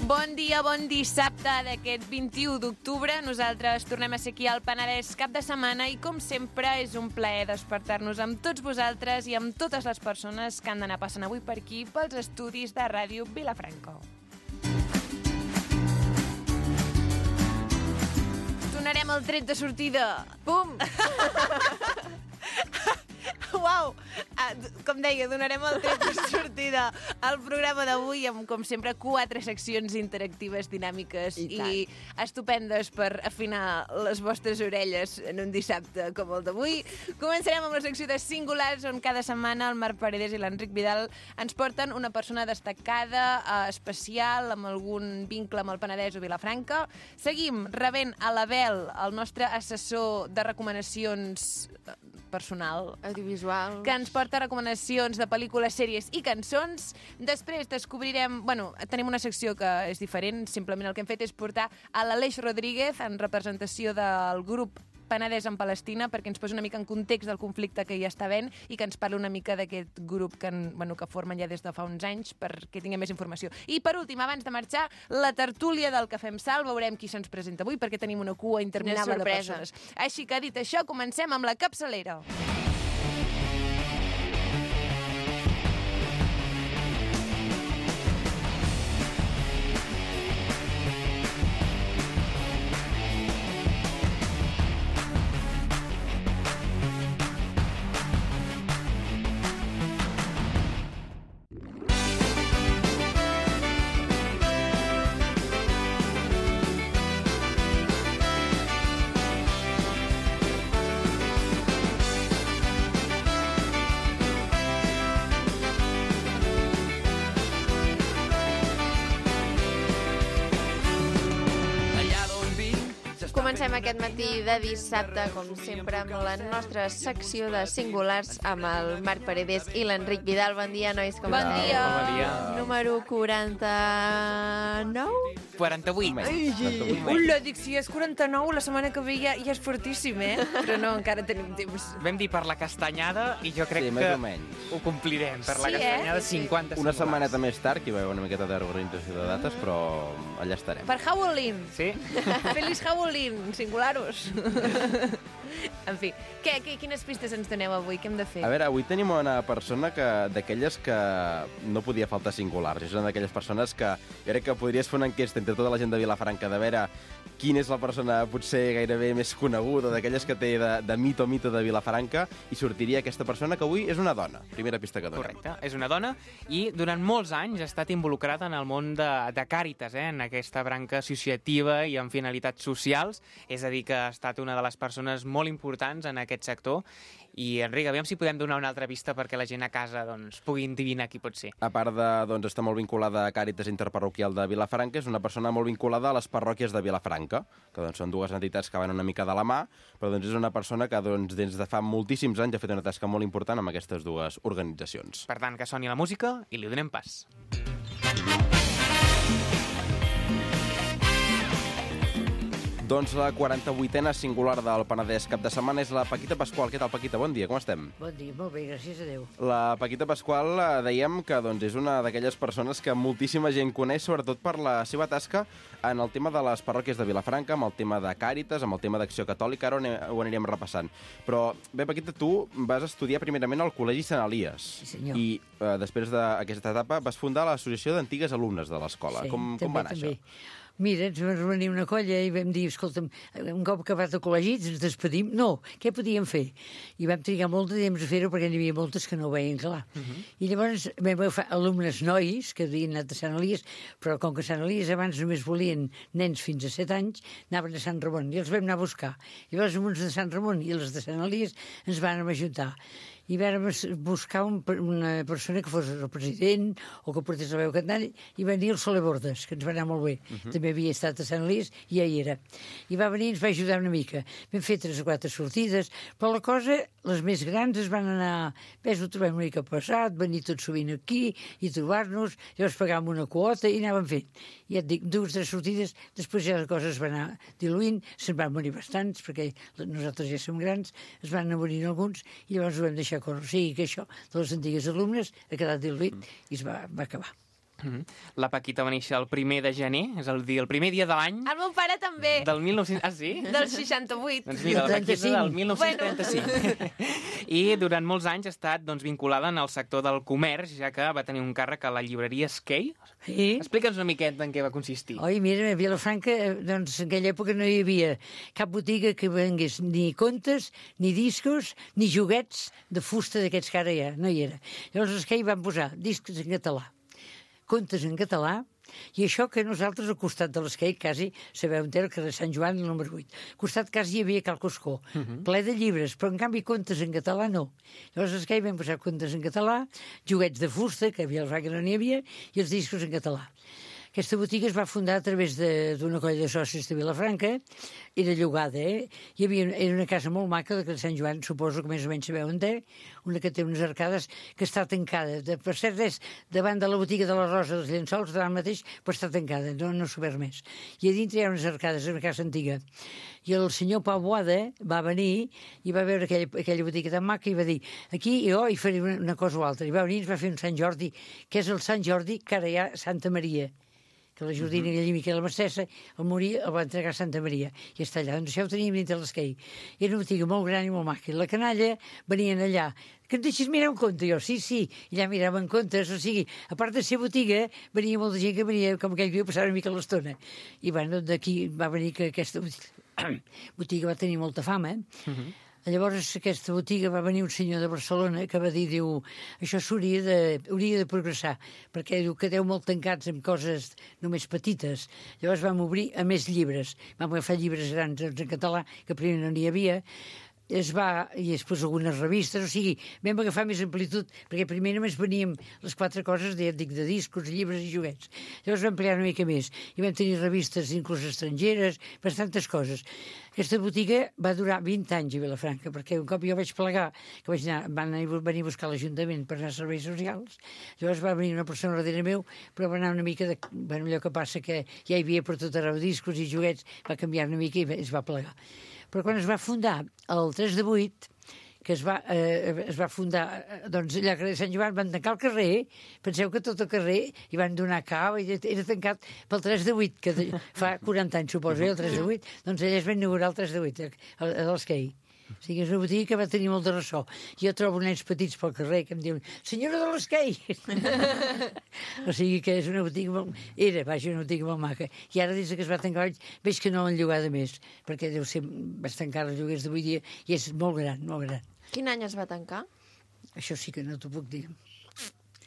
Bon dia, bon dissabte d'aquest 21 d'octubre. Nosaltres tornem a ser aquí al Penedès cap de setmana i, com sempre, és un plaer despertar-nos amb tots vosaltres i amb totes les persones que han d'anar passant avui per aquí pels estudis de Ràdio Vilafranca. Donarem el tret de sortida. Pum! Uau! Com deia, donarem el tret de sortida al programa d'avui amb, com sempre, 4 seccions interactives, dinàmiques i estupendes per afinar les vostres orelles en un dissabte com el d'avui. Començarem amb la secció de Singulars, on cada setmana el Marc Paredes i l'Enric Vidal ens porten una persona destacada, especial, amb algun vincle amb el Penedès o Vilafranca. Seguim rebent a l'Abel, el nostre assessor de recomanacions personal, audiovisual, que ens porta recomanacions de pel·lícules, sèries i cançons. Després descobrirem... Bueno, tenim una secció que és diferent, simplement el que hem fet és portar a l'Aleix Rodríguez en representació del grup Penedès en Palestina, perquè ens posi una mica en context del conflicte que hi està havent i que ens parli una mica d'aquest grup que formen ja des de fa uns anys, perquè tinguem més informació. I per últim, abans de marxar, la tertúlia del Cafè amb Sal. Veurem qui se'ns presenta avui, perquè tenim una cua interminable de persones. Així que, dit això, comencem amb la capçalera. Comencem aquest matí de dissabte, com sempre, amb la nostra secció de Singulars amb el Marc Paredes i l'Enric Vidal. Bon dia, nois, com esteu? Bon dia. Número 49? 48. Ula, dic, si és 49, la setmana que ve ja és fortíssim, Però no, encara tenim temps. Vam dir per la castanyada i jo crec més que o menys. ho complirem. Per la Sí, castanyada, Sí. 50 Una singulars. setmaneta més tard, que hi va haver una miqueta d'organització de dates, però allà estarem. Per Halloween. Sí? Feliç Halloween, singularos. En fi, quines pistes ens doneu avui? Què hem de fer? A veure, avui tenim una persona d'aquelles que no podia faltar singulars. És una d'aquelles persones que jo crec que podries fer una enquesta entre tota la gent de Vilafranca de veure quina és la persona potser gairebé més coneguda, d'aquelles que té de mito de Vilafranca, i sortiria aquesta persona, que avui és una dona. Primera pista que donem. Correcte. És una dona i durant molts anys ha estat involucrada en el món de Càritas, en aquesta branca associativa i amb finalitats socials. És a dir, que ha estat una de les persones molt importants en aquest sector. I, Enric, aviam si podem donar una altra pista perquè la gent a casa pugui endevinar qui pot ser. A part de estar molt vinculada a Càritas Interparroquial de Vilafranca, és una persona molt vinculada a les parròquies de Vilafranca, que són dues entitats que van una mica de la mà, però és una persona que des de fa moltíssims anys ha fet una tasca molt important amb aquestes dues organitzacions. Per tant, que soni la música i li donem pas. Doncs la 48a singular del Penedès cap de setmana és la Paquita Pasqual. Què tal, Paquita? Bon dia, com estem? Bon dia, molt bé, gràcies a Déu. La Paquita Pasqual dèiem que és una d'aquelles persones que moltíssima gent coneix, sobretot per la seva tasca en el tema de les parròquies de Vilafranca, amb el tema de Càritas, amb el tema d'Acció Catòlica, ara ho anirem repassant. Però bé, Paquita, tu vas estudiar primerament al Col·legi Sant Elies. Sí, senyor. I després d'aquesta etapa vas fundar l'Associació d'Antigues Alumnes de l'Escola. Sí, Com va anar això? Mira, ens vam reunir una colla i vam dir, escolta'm, un cop acabat el col·legi ens despedim. No, què podíem fer? I vam trigar molt de temps a fer-ho perquè n'hi havia moltes que no ho veien clar. I llavors vam agafar alumnes nois que havien anat a Sant Elies, però com que Sant Elies abans només volien nens fins a 7 anys, anaven a Sant Ramon i els vam anar a buscar. I llavors uns de Sant Ramon i els de Sant Elies ens van ajuntar. I vam buscar una persona que fos el president o que portés la veu cantant, i va venir el Soler Bordes, que ens va anar molt bé. També havia estat a Sant Elies i ja hi era. I va venir i ens va ajudar una mica. Vam fer 3 o 4 sortides, però la cosa, les més grans es van anar... Ves, ho trobem una mica passat, venir tot sovint aquí i trobar-nos, llavors pagàvem una quota i anàvem fent. I ja et dic, 2 o 3 sortides, després ja les coses es van anar diluint, se'n van morir bastants, perquè nosaltres ja som grans, es van anar morint alguns, i llavors ho vam deixar córrer. O sigui que això de les antigues alumnes ha quedat diluït i es va acabar. La Paquita va néixer el 1 de gener, és a dir, el primer dia de l'any El meu pare també, del 1900... Ah, sí? del 68. Doncs mira, la Paquita del 1935. 1935. I durant molts anys ha estat vinculada en el sector del comerç, ja que va tenir un càrrec a la llibreria Skate. Sí. Explica'ns una miqueta en què va consistir. Oi, mira, a Vilafranca, doncs, en aquella època no hi havia cap botiga que vengués ni contes, ni discos, ni joguets de fusta d'aquests que ara hi ha, no hi era. Llavors els que hi van posar discos en català, contes en català, i això que nosaltres al costat de l'esquei quasi, sabeu on era el carrer Sant Joan, el número 8. Al costat quasi hi havia Cal Coscó, ple de llibres, però en canvi contes en català no. Llavors l'esquei vam posar contes en català, joguets de fusta, que a Vilafranca no n'hi havia, i els discos en català. Aquesta botiga es va fundar a través d'una colla de socis de Vilafranca, era llogada, era una casa molt maca, de Sant Joan, suposo que més o menys sabeu on té, una que té unes arcades que està tancada. Per cert, és davant de la botiga de la Rosa dels Llençols, davant mateix, però està tancada, no s'ha obert més. I a dintre hi ha unes arcades, una casa antiga. I el senyor Pau Boada va venir i va veure aquella botiga tan maca i va dir, aquí jo hi faré una cosa o altra. I va venir i ens va fer un Sant Jordi, que és el Sant Jordi que ara hi ha Santa Maria, que la Jordina i Miquel Mestessa, al morir, el va entregar a Santa Maria, i està allà. Doncs això ho teníem dintre l'esquei. Era una botiga molt gran i molt maca. I la canalla venien allà. Que et deixis mirar un conte? Jo, sí. I allà miraven contes, o sigui, a part de ser botiga, venia molta gent que venia, com aquell dia, passar una mica l'estona. I bueno, d'aquí va venir que aquesta botiga va tenir molta fama, Llavors, aquesta botiga va venir un senyor de Barcelona que va dir, diu, això hauria de progressar, perquè diu, quedeu molt tancats amb coses només petites. Llavors vam obrir a més llibres. Vam agafar llibres grans en català, que primer no n'hi havia, i després algunes revistes, o sigui, vam agafar més amplitud, perquè primer només veníem les 4 coses, de discos, llibres i joguets. Llavors vam ampliar una mica més, i vam tenir revistes inclús estrangeres, bastantes coses. Aquesta botiga va durar 20 anys a Vilafranca, perquè un cop jo vaig plegar, que van venir a buscar l'Ajuntament per anar a serveis socials, llavors va venir una persona darrere meu, però va anar una mica allò que passa que ja hi havia per tot arreu discos i joguets, va canviar una mica i es va plegar. Però quan es va fundar el 3 de 8, que es va fundar, doncs allà al carrer de Sant Joan, van tancar el carrer, penseu que tot el carrer hi van donar cava, i era tancat pel 3 de 8, que fa 40 anys, suposo, el 3 de 8, doncs allà es va inaugurar el 3 de 8, a l'Esquei. O sigui, és una botiga que va tenir molt de ressò. Jo trobo nens petits pel carrer que em diuen senyora de l'Esquei! O sigui que és una botiga molt... Era, una botiga molt maca. I ara, des que es va tancar, veig que no l'han llogada més, perquè deu ser bastant car els lloguers d'avui dia, i és molt gran, molt gran. Quin any es va tancar? Això sí que no t'ho puc dir.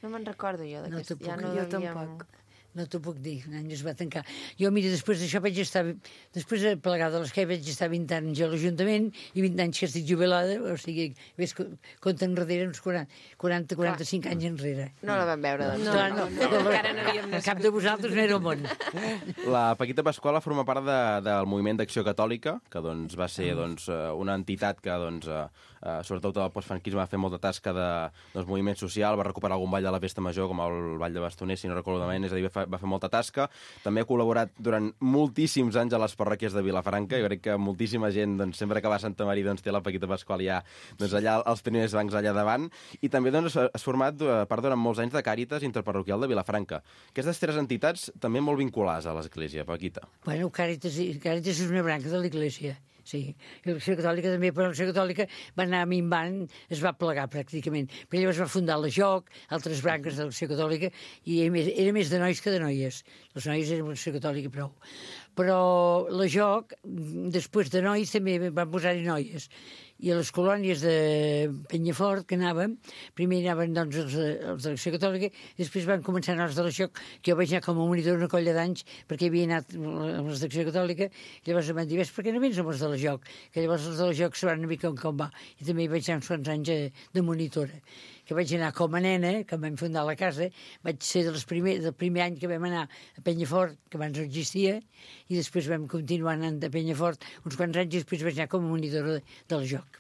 No me'n recordo jo d'aquest. No t'ho puc, jo tampoc. No t'ho puc dir, un any es va tancar. Jo, mira, després d'això després de plegar de l'esquei vaig estar 20 anys a l'Ajuntament i 20 anys que estic jubilada, o sigui, ves, compta enrere uns 40-45 anys enrere. No la vam veure, doncs. No, encara no havíem nascut. Cap de vosaltres no era al món. La Paquita Pasquala forma part del moviment d'Acció Catòlica, que doncs, va ser una entitat que, sobretot el postfranquisme, va fer molta tasca de moviment social, va recuperar algun ball de la Festa Major, com el Ball de Bastoner, si no recordo malament, és a dir, va fer molta tasca. També ha col·laborat durant moltíssims anys a les parròquies de Vilafranca. Jo crec que moltíssima gent, sempre que va a Santa Maria, té la Paquita Pasqual ja allà als primers bancs allà davant. I també has format part durant molts anys de Càritas Interparroquial de Vilafranca. Aquestes 3 entitats també molt vinculades a l'Església, Paquita. Bueno, Càritas és una branca de l'Església. Sí, i l'Acció Catòlica també, però l'Acció Catòlica va anar minvant, es va plegar pràcticament. Però llavors va fundar la JOC, altres branques de l'Acció Catòlica, i era més de nois que de noies. Les noies eren l'Acció Catòlica prou. Però la JOC, després de nois, també van posar-hi noies. I a les colònies de Penyafort, que anàvem, primer anaven doncs, els de l'Acció Catòlica, i després van començar els de la JOC, que jo vaig anar com a monitor una colla d'anys, perquè havia anat amb els d'Acció Catòlica, i llavors em van dir, per què no vens amb els de la JOC? Que llavors els de la JOC sabran una mica com va, i també hi vaig anar uns quants anys de monitora. Que vaig anar com a nena, que vam fundar la casa, vaig ser del primer any que vam anar a Penyafort, que abans no existia, i després vam continuar anant a Penyafort uns quants anys i després vaig anar com a monitora de la JOC.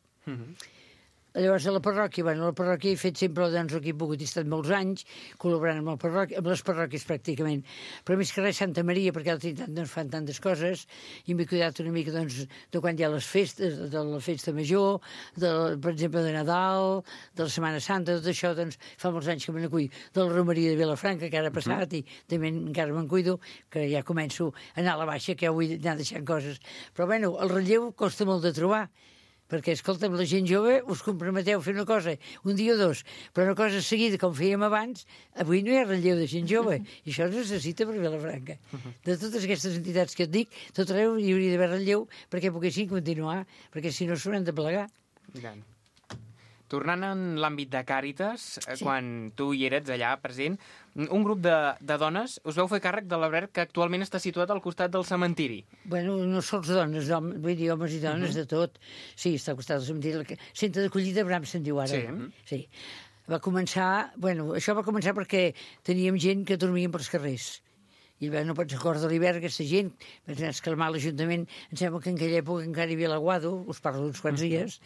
Llavors, a la parròquia he fet sempre doncs, el que he pogut. He estat molts anys col·laborant amb les parròquies pràcticament. Però més que res Santa Maria, perquè a la Trinitat no fan tantes coses, i m'he cuidat una mica doncs, de quan hi ha les festes, de la festa major, per exemple, de Nadal, de la Setmana Santa, tot això, doncs, fa molts anys que me n'acull. De la Romeria de Vilafranca, que ara ha passat, i també encara me'n cuido, que ja començo a anar a la baixa, que ja vull anar deixant coses. Però, bueno, el relleu costa molt de trobar, perquè, escolta'm, la gent jove us comprometeu a fer una cosa, un dia o dos, però una cosa seguida, com fèiem abans, avui no hi ha relleu de gent jove, i això es necessita per Vilafranca. De totes aquestes entitats que et dic, tot arreu hi hauria d'haver relleu perquè poguessin continuar, perquè si no s'hauran de plegar. Tornant en l'àmbit de Càritas, quan tu hi eres allà present, un grup de dones us veu fer càrrec de l'alberg que actualment està situat al costat del cementiri. Bueno, no sols dones, vull dir, homes i dones de tot. Sí, està al costat del cementiri. Centre d'acollida Bram se'n diu ara. Sí. Va començar, bueno, això va començar perquè teníem gent que dormien pels carrers. I no pots recordar de l'hivern, aquesta gent, vaig anar a escalmar l'Ajuntament, em sembla que en aquella època encara hi havia l'Aguado, us parlo d'uns quants dies,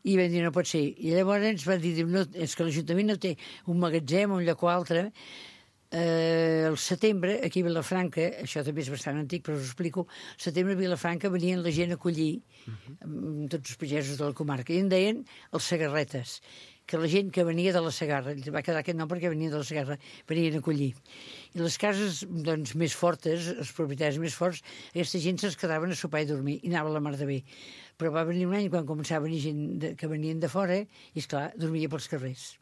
i vam dir, no pot ser. I llavors ens van dir, no, és que l'Ajuntament no té un magatzem, un lloc o altre. Al setembre, aquí a Vilafranca, això també és bastant antic, però us ho explico, al setembre a Vilafranca venien la gent a acollir, tots els pagesos de la comarca, i en deien els Segarretes, que la gent que venia de la Segarra, va quedar aquest nom perquè venia de la Segarra, venien a acollir. I les cases doncs, més fortes, els propietaris més forts, aquesta gent se'ls quedaven a sopar i dormir, i anava a la mar de bé. Però va venir un any quan començava a venir gent que venien de fora, i esclar, dormia pels carrers.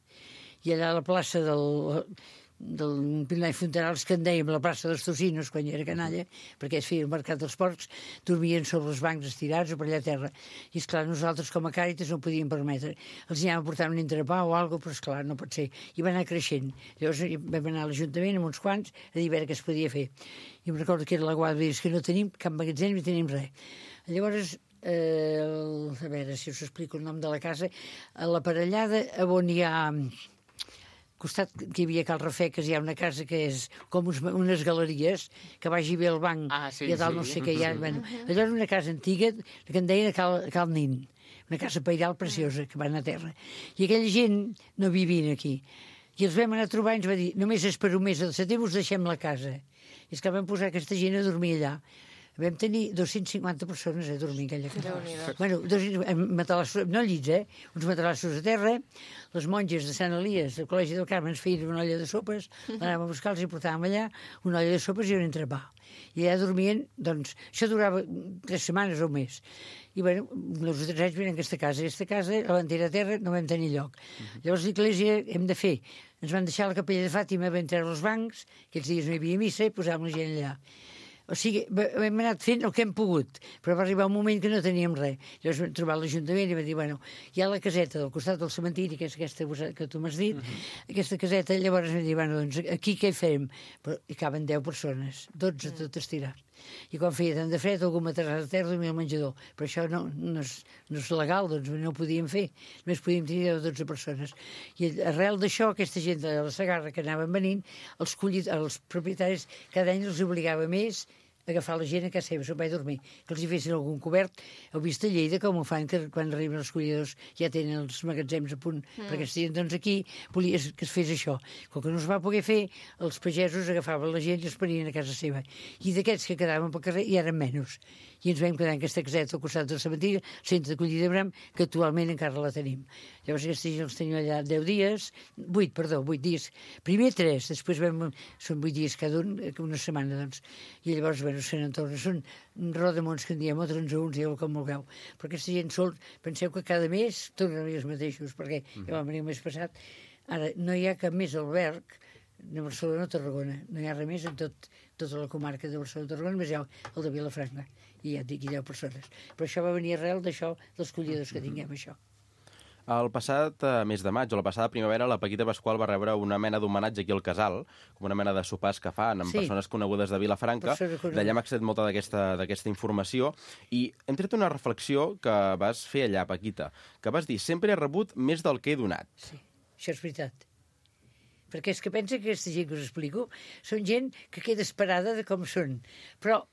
I allà a la plaça del Pilar i Fontanals, que en dèiem la plaça dels Tocinos, quan jo era canalla, perquè es feia el mercat dels porcs, dormien sobre els bancs estirats o per allà a terra. I, esclar, nosaltres com a Càritas no ho podíem permetre. Els anàvem portant un entrepà o alguna cosa, però, esclar, no pot ser. I va anar creixent. Llavors vam anar a l'Ajuntament amb uns quants a dir a veure què es podia fer. I em recordo que era la Guàrdia, dir que no tenim cap magatzem ni tenim res. Llavors, a veure si us explico el nom de la casa, a la Parellada, on hi ha... costat que hi havia Cal Rafeques, hi ha una casa que és com unes galeries, que vagi bé al banc, i a dalt no sé què hi ha. Bueno, allò era una casa antiga, que en deien Cal Nin, una casa pairal preciosa, que va anar a terra. I aquella gent no vivien aquí. I els vam anar a trobar i ens va dir, només és per un mes de setembre us deixem la casa. I és que vam posar aquesta gent a dormir allà. Vam tenir 250 persones a dormir en aquella casa. Bueno, no llits, uns matalassos a terra, les monges de Sant Elies, del Col·legi del Carme, ens feien una olla de sopes, l'anàvem a buscar, els hi portàvem allà, una olla de sopes i un entrepà. I allà dormien, doncs, això durava 3 setmanes o un mes. I, bueno, els 3 anys venen a aquesta casa. I aquesta casa, a l'antera terra, no vam tenir lloc. Llavors, l'església hem de fer. Ens van deixar la capella de Fàtima, vam treure els bancs, aquells dies no hi havia missa, i posàvem la gent allà. O sigui, hem anat fent el que hem pogut, però va arribar un moment que no teníem res. Llavors vam trobar l'Ajuntament i vam dir, bueno, hi ha la caseta del costat del cementiri, que és aquesta que tu m'has dit, aquesta caseta, llavors vam dir, bueno, doncs aquí què fem? Però hi caben 10 persones, 12 tot estirat. I quan feia tant de fred, algú matarà a terra i dormia al menjador. Però això no és legal, doncs no ho podíem fer. Només podíem tenir 10 o 12 persones. I arrel d'això, aquesta gent de la Segarra que anaven venint, els propietaris cada any els obligava més agafar la gent a casa seva, se'n va a dormir, que els hi fessin algun cobert. Heu vist a Lleida com ho fan, que quan arriben els collidors ja tenen els magatzems a punt, perquè estiguin, doncs aquí volia que es fes això. Com que no es va poder fer, els pagesos agafaven la gent i els parien a casa seva. I d'aquests que quedaven pel carrer hi eren menys. I ens vam quedar en aquesta caseta al costat del cementiri, centre d'acollida de Bram, que actualment encara la tenim. Llavors aquesta gent els tenim allà 10 dies, 8 dies. Primer 3, després són 8 dies cada un, una setmana, doncs. I llavors, bueno, se n'entorna. Són rodamons que en diem, o transaúns, digueu com vulgueu. Però aquesta gent sol, penseu que cada mes tornen a venir els mateixos, perquè ja vam venir el mes passat. Ara, no hi ha cap més alberg de Barcelona o Tarragona. No hi ha res més en tota la comarca de Barcelona o Tarragona, només hi ha el de Vilafranca. I ja et dic, hi ha 10 persones. Però això va venir arrel d'això, dels collidors que tinguem, això. El passat mes de maig, o la passada primavera, la Paquita Pasqual va rebre una mena d'homenatge aquí al Casal, com una mena de sopars que fan amb persones conegudes de Vilafranca. D'allà m'ha accedit molta d'aquesta informació. I hem tret una reflexió que vas fer allà, Paquita, que vas dir, sempre he rebut més del que he donat. Sí, això és veritat. Perquè és que pensa que aquesta gent que us explico són gent que queda esperada de com són. Però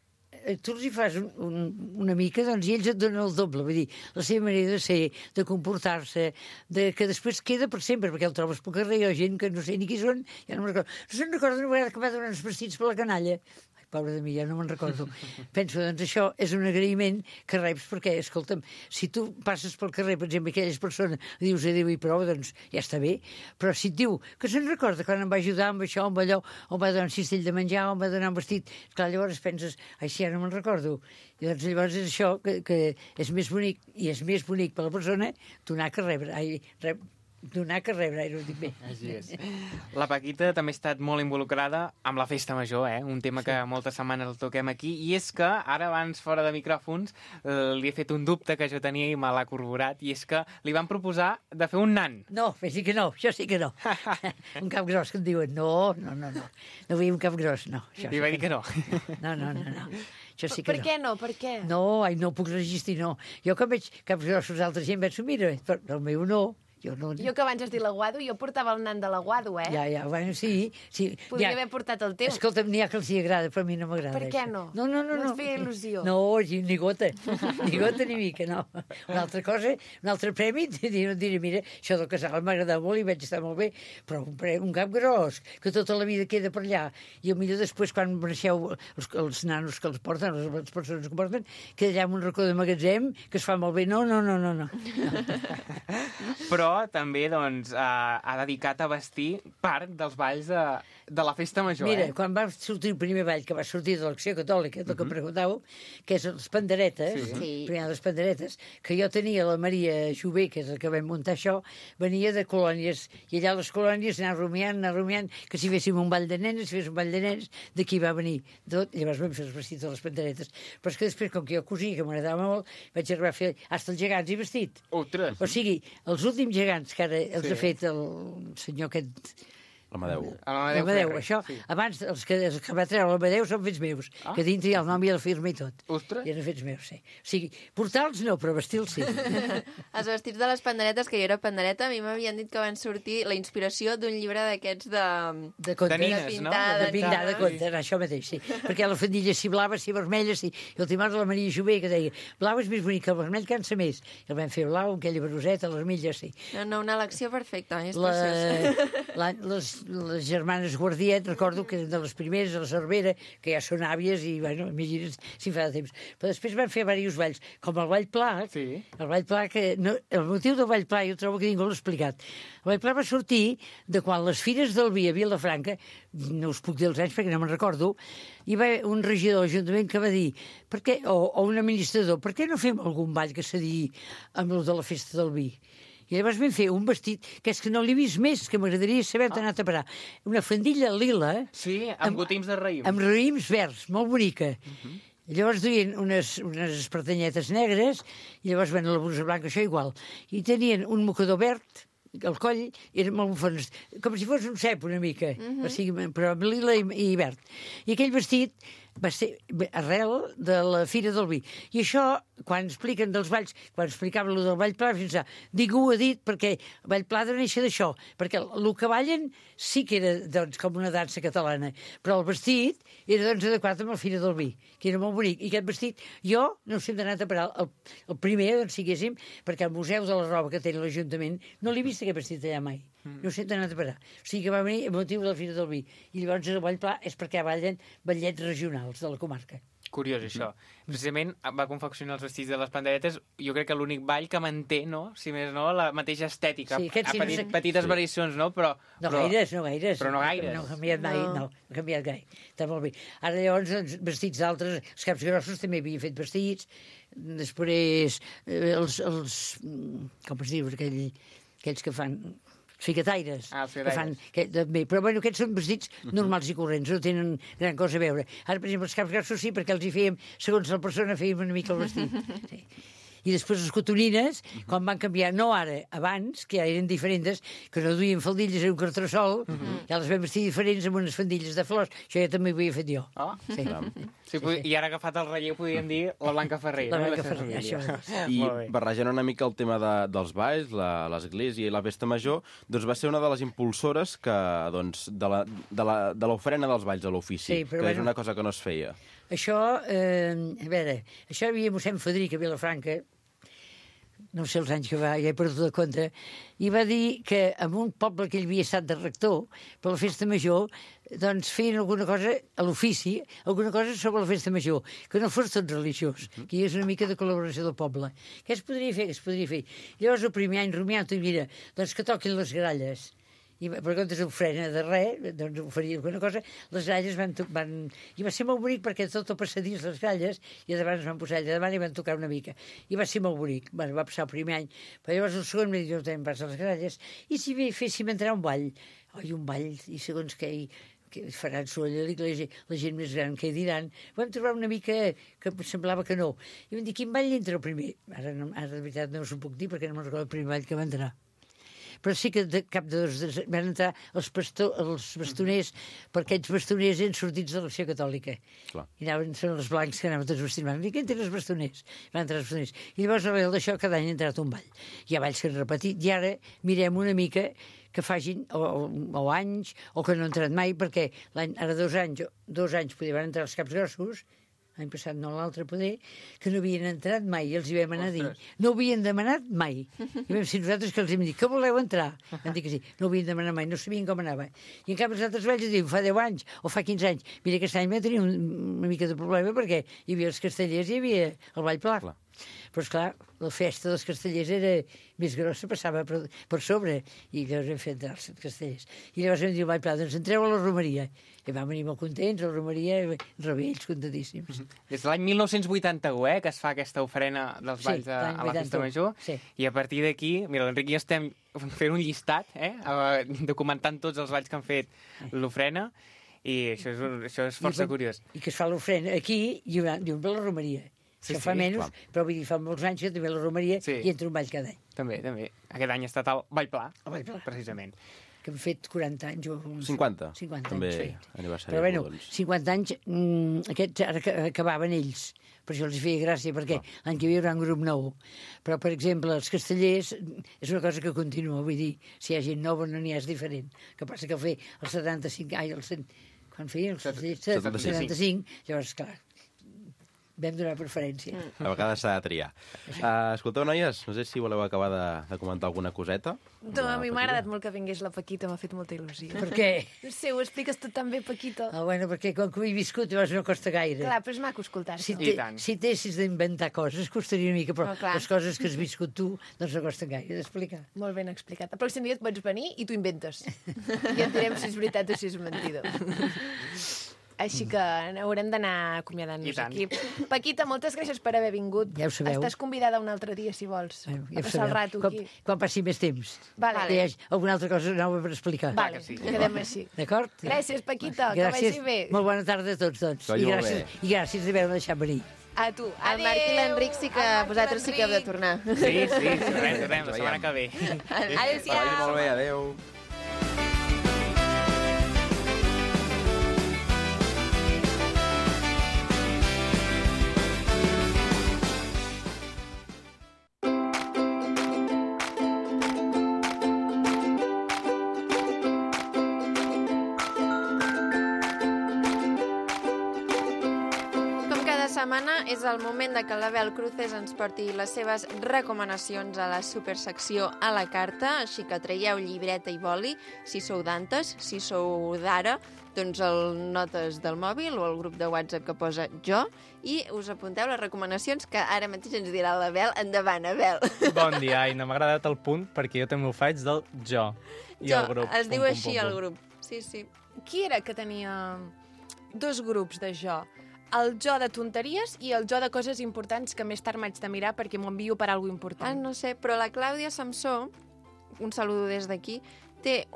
tu els hi fas una mica, doncs, i ells et donen el doble. Vull dir, la seva manera de ser, de comportar-se, que després queda per sempre, perquè el trobes pel carrer, hi ha gent que no sé ni qui són, ja no me'n recordo. No se'n recorda una vegada que va donar uns vestits per la canalla. Pobra de mi, ja no me'n recordo. Penso, doncs això és un agraïment que reps perquè, escolta'm, si tu passes pel carrer, per exemple, aquelles persones, li dius adéu i prou, doncs ja està bé, però si et diu que se'n recorda quan em va ajudar amb això, amb allò, o em va donar un cistell de menjar, o em va donar un vestit, clar, llavors penses, ai, si ja no me'n recordo. I doncs llavors és això que és més bonic, i és més bonic per la persona donar que rebre. Donar que rebre, ho dic bé. Així és. La Paquita també ha estat molt involucrada amb la festa major, un tema que moltes setmanes el toquem aquí, i és que ara abans, fora de micròfons, li he fet un dubte que jo tenia i me l'ha corroborat, i és que li van proposar de fer un nan. No, sí que no, això sí que no. Un cap gros que em diuen, no vull un cap gros, no. Li va dir que no. No. Això sí que Per què no? Per què? No, no puc resistir, no. Jo quan veig caps grossos d'altra gent, penso, mira, però el meu no. Jo que abans has dit l'aguado, jo portava el nan de l'aguado, Ja, bueno, sí. Podria haver portat el teu. Escolta'm, n'hi ha que els hi agrada, però a mi no m'agrada. Per què no? No. No et feia il·lusió? No, ni gota. Ni gota ni mica, no. Una altra cosa, un altre premi, diré, mira, això del casal m'agrada molt i vaig estar molt bé, però un cap gros, que tota la vida queda per allà, i potser després, quan mereixeu els nanos que els porten, les persones que porten, queda allà amb un racó de magatzem, que es fa molt bé. No. Però també doncs, ha dedicat a vestir part dels balls de la festa major. Mira, quan va sortir el primer ball, que va sortir de l'Acció Catòlica, del que preguntàveu, que és les panderetes, primer les panderetes, que jo tenia la Maria Jové, que és la que vam muntar això, venia de colònies, i allà les colònies anar rumiant, que si féssim un ball de nenes, si fes un ball de nens, d'aquí va venir tot, llavors vam fer els vestits de les panderetes. Però és que després, com que jo cosia, que m'agradava molt, vaig arribar a fer hasta els gegants i vestit. Ostres! O sigui, els últims gegants que ara els ha fet el senyor aquest... L'Amadeu, això. Sí. Abans, els que va treure l'Amadeu són fets meus, que dintre hi ha el nom i la firma i tot. Ostres! I eren fets meus, sí. O sigui, portar-los no, però vestir-los sí. Els vestits de les panderetes, que jo era pandereta, a mi m'havien dit que van sortir la inspiració d'un llibre d'aquests de contes. De nines, pintar, no? De pintar, de contes, això mateix, sí. Perquè la faldilla si blava, si vermella, sí. I el timor de la Maria Jové, que deia, blau és més bonic que el vermell, cansa més. I el vam fer blau, amb aquella bruseta, les milles, sí. No, una elecció perfecta, és preciós. Les germanes Guardiet, recordo que eren de les primeres, a la Cervera, que ja són àvies i, bueno, imagina't si fa de temps. Però després van fer diversos balls, com el Ball Pla, el Ball Pla que... No, el motiu del Ball Pla jo trobo que ningú l'ha explicat. El Ball Pla va sortir de quan les fires del vi a Vilafranca, no us puc dir els anys perquè no me'n recordo, hi va un regidor de l'Ajuntament que va dir, o un administrador, per què no fem algun ball que s'adiï amb el de la festa del vi? I llavors vam fer un vestit, que és que no l'he vist més, que m'agradaria saber on anat a parar. Una faldilla lila... Sí, amb gotims de raïm. Amb raïms verds, molt bonica. Llavors duien unes espartanyetes negres, i llavors ven la blusa blanca, això igual. I tenien un mocador verd, el coll era molt bufons, com si fos un cep una mica, o sigui, però amb lila i verd. I aquell vestit va ser arrel de la Fira del Vi. I això, quan expliquen dels balls, quan explicava el del Ball Pla, pensar, ningú ho ha dit perquè el Ball Pla ha de néixer d'això, perquè el que ballen sí que era doncs, com una dansa catalana, però el vestit era doncs, adequat amb la Fira del Vi, que era molt bonic. I aquest vestit, jo no sé on ha anat a parar el primer, doncs, siguéssim, perquè al Museu de la Roba que té l'Ajuntament no l'he vist aquest vestit allà mai. No sé on ha anat a parar. O sigui que va venir a motiu de la Fira del Vi. I llavors el Ball Pla és perquè ballen ballets regionals de la comarca. Curiós, això. Precisament va confeccionar els vestits de les panderetes, jo crec que l'únic ball que manté, no? Si més no, la mateixa estètica. Sí, petites variacions, no? Però gaires. Però no gaires. No ha canviat mai, no ha canviat gaire. Està molt bé. Ara llavors, doncs, vestits d'altres, els caps grossos també havien fet vestits, després com es diu, aquells que fan... Ficataires. Que fan, també. Però bueno, aquests són vestits normals i corrents, no tenen gran cosa a veure. Ara, per exemple, els caps grossos sí, perquè els hi fèiem, segons la persona, fèiem una mica el vestit. Sí. I després les cotonines, quan van canviar, no ara, abans, que ja eren diferents, que no duien faldilles, era un cartressol, ja les vam vestir diferents amb unes faldilles de flors. Això ja també ho havia fet jo. Sí, i ara agafat el relleu podríem dir la Blanca Ferrer. La Blanca Ferrer, això. I barrejant una mica el tema dels balls, l'església i la festa major, doncs va ser una de les impulsores que, doncs, de l'ofrena dels balls a l'ofici, que és una cosa que no es feia. Això, a veure, això hi havia mossèn Federic a Vilafranca, no sé els anys que va, ja he perdut de compte, i va dir que en un poble que ell havia estat de rector, per la festa major, doncs feien alguna cosa a l'ofici, alguna cosa sobre la festa major, que no fos tot religiós, que hi hagués una mica de col·laboració del poble. Què es podria fer? Què es podria fer? Llavors, el primer any, rumiant, i mira, doncs que toquin les gralles. I per comptes d'ofrena de res, doncs oferia alguna cosa, les gralles van... I va ser molt bonic perquè tot el passadís les gralles, i davant es van posar allà davant i van tocar una mica. I va ser molt bonic. Bueno, va passar el primer any. Però llavors el segon m'ha dit, jo també vas a les gralles. I si bé féssim entrar un ball, un ball, i segons què faran soroll, la gent més gran que diran, vam trobar una mica que semblava que no. I vam dir, quin ball entra el primer? Ara de veritat no us ho puc dir perquè no me'n recordo el primer ball que va entrar. Però sí que de cap de dos van entrar els bastoners, perquè aquests bastoners eren sortits de l'Acció Catòlica. Clar. I són els blancs que anaven tots vestits. Van dir, què entren els bastoners? Van entrar els bastoners. I llavors, arrel d'això, cada any ha entrat un ball. Hi ha balls que han repetit, i ara mirem una mica que facin o anys, o que no han entrat mai, perquè ara 2 anys podien entrar els caps grossos, l'any passat no, l'altre poder, que no havien entrat mai, i els hi vam anar a dir. No havien demanat mai. I vam ser nosaltres que els hem dit, que voleu entrar? Van dir que sí, no havien demanat mai, no sabien com anava. I en canvi els altres valls diuen, fa 10 anys o fa 15 anys. Mira, aquest any vam tenir una mica de problema perquè hi havia els castellers i hi havia el ball pla. Però, esclar, la festa dels castellers era més grossa, passava per sobre, i llavors vam fer entrar els castellers. I llavors vam dir al ball pla, doncs entreu a la romeria. I vam venir molt contents, a la romeria, ells contadíssims. Des de l'any 1981, que es fa aquesta ofrena dels balls a la Festa Major, i a partir d'aquí, mira, l'Enric i jo estem fent un llistat, documentant tots els balls que han fet l'ofrena, i això és força curiós. I que es fa l'ofrena aquí i un per la romeria. Que fa menys, però vull dir, fa molts anys que també la romeria i entra un ball cada any. També. Aquest any ha estat el Ball Pla, precisament. Que hem fet 40 anys. 50. 50 també anys. Aniversari. Però bueno, 50 anys, aquests ara acabaven ells. Per això els feia gràcia, perquè l'any que ve hi haurà un grup nou. Però, per exemple, els castellers és una cosa que continua. Vull dir, si hi ha gent nova no n'hi ha, és diferent. El que passa que fer els 75... Quan feien els castellers? 75. Llavors, clar, vam donar preferència. A vegades s'ha de triar. Escolteu, noies, no sé si voleu acabar de comentar alguna coseta. No, a mi m'ha agradat molt que vingués la Paquita, m'ha fet molta il·lusió. Per què? No sé, ho expliques tu també, Paquita. Bueno, perquè com que ho he viscut, llavors no costa gaire. Clar, però és maco escoltar-se. Si t'haguessis d'inventar coses, costaria una mica, però les coses que has viscut tu, doncs no costen gaire d'explicar. Molt ben explicat. El pròxim dia et pots venir i t'ho inventes. I et direm si és veritat o si és mentida. Així que haurem d'anar acomiadant-nos aquí. Paquita, moltes gràcies per haver vingut. Ja ho sabeu. Estàs convidada un altre dia, si vols. Ja a passar el rato aquí. Quan passi més temps. Vale. Hi ha alguna altra cosa nova per explicar. Vale, quedem així. D'acord? Gràcies, Paquita, que vagi bé. Molt bona tarda a tots, doncs. I gràcies d'haver-me deixat venir. A tu. El Marc i l'Enric sí que vosaltres sí que heu de tornar. Sí, tornem, la setmana que ve. Adéu-siau. Molt bé, adéu. Setmana és el moment de que l'Abel Cruces ens porti les seves recomanacions a la supersecció a la carta, així que traieu llibreta i boli, si sou d'antes, si sou d'ara, doncs el notes del mòbil o el grup de WhatsApp que posa jo, i us apunteu les recomanacions que ara mateix ens dirà l'Abel. Endavant, Abel. Bon dia, Aina. M'ha agradat el punt perquè jo també ho faig del jo. I jo, el grup. Es diu així el grup. Sí. Qui era que tenia 2 grups de jo? El jo de tonteries i el jo de coses importants que més tard m'haig de mirar perquè m'ho envio per alguna important. No sé, però la Clàudia Samsó, un saludo des d'aquí, té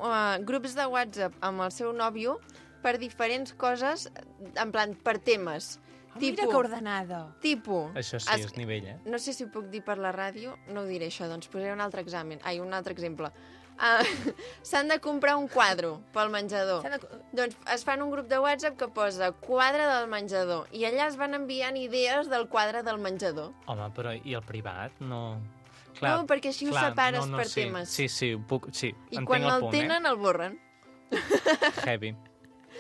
grups de WhatsApp amb el seu nòvio per diferents coses, en plan, per temes. Mira que ordenada. Això sí, és nivell, No sé si ho puc dir per la ràdio, no ho diré això, doncs posaré un altre exemple. S'han de comprar un quadre pel menjador. Doncs es fan un grup de WhatsApp que posa quadre del menjador i allà es van enviant idees del quadre del menjador. Home, però i el privat? No... No, perquè així ho separes per temes. Sí, ho puc... Sí, i quan el tenen, el borren. Heavy.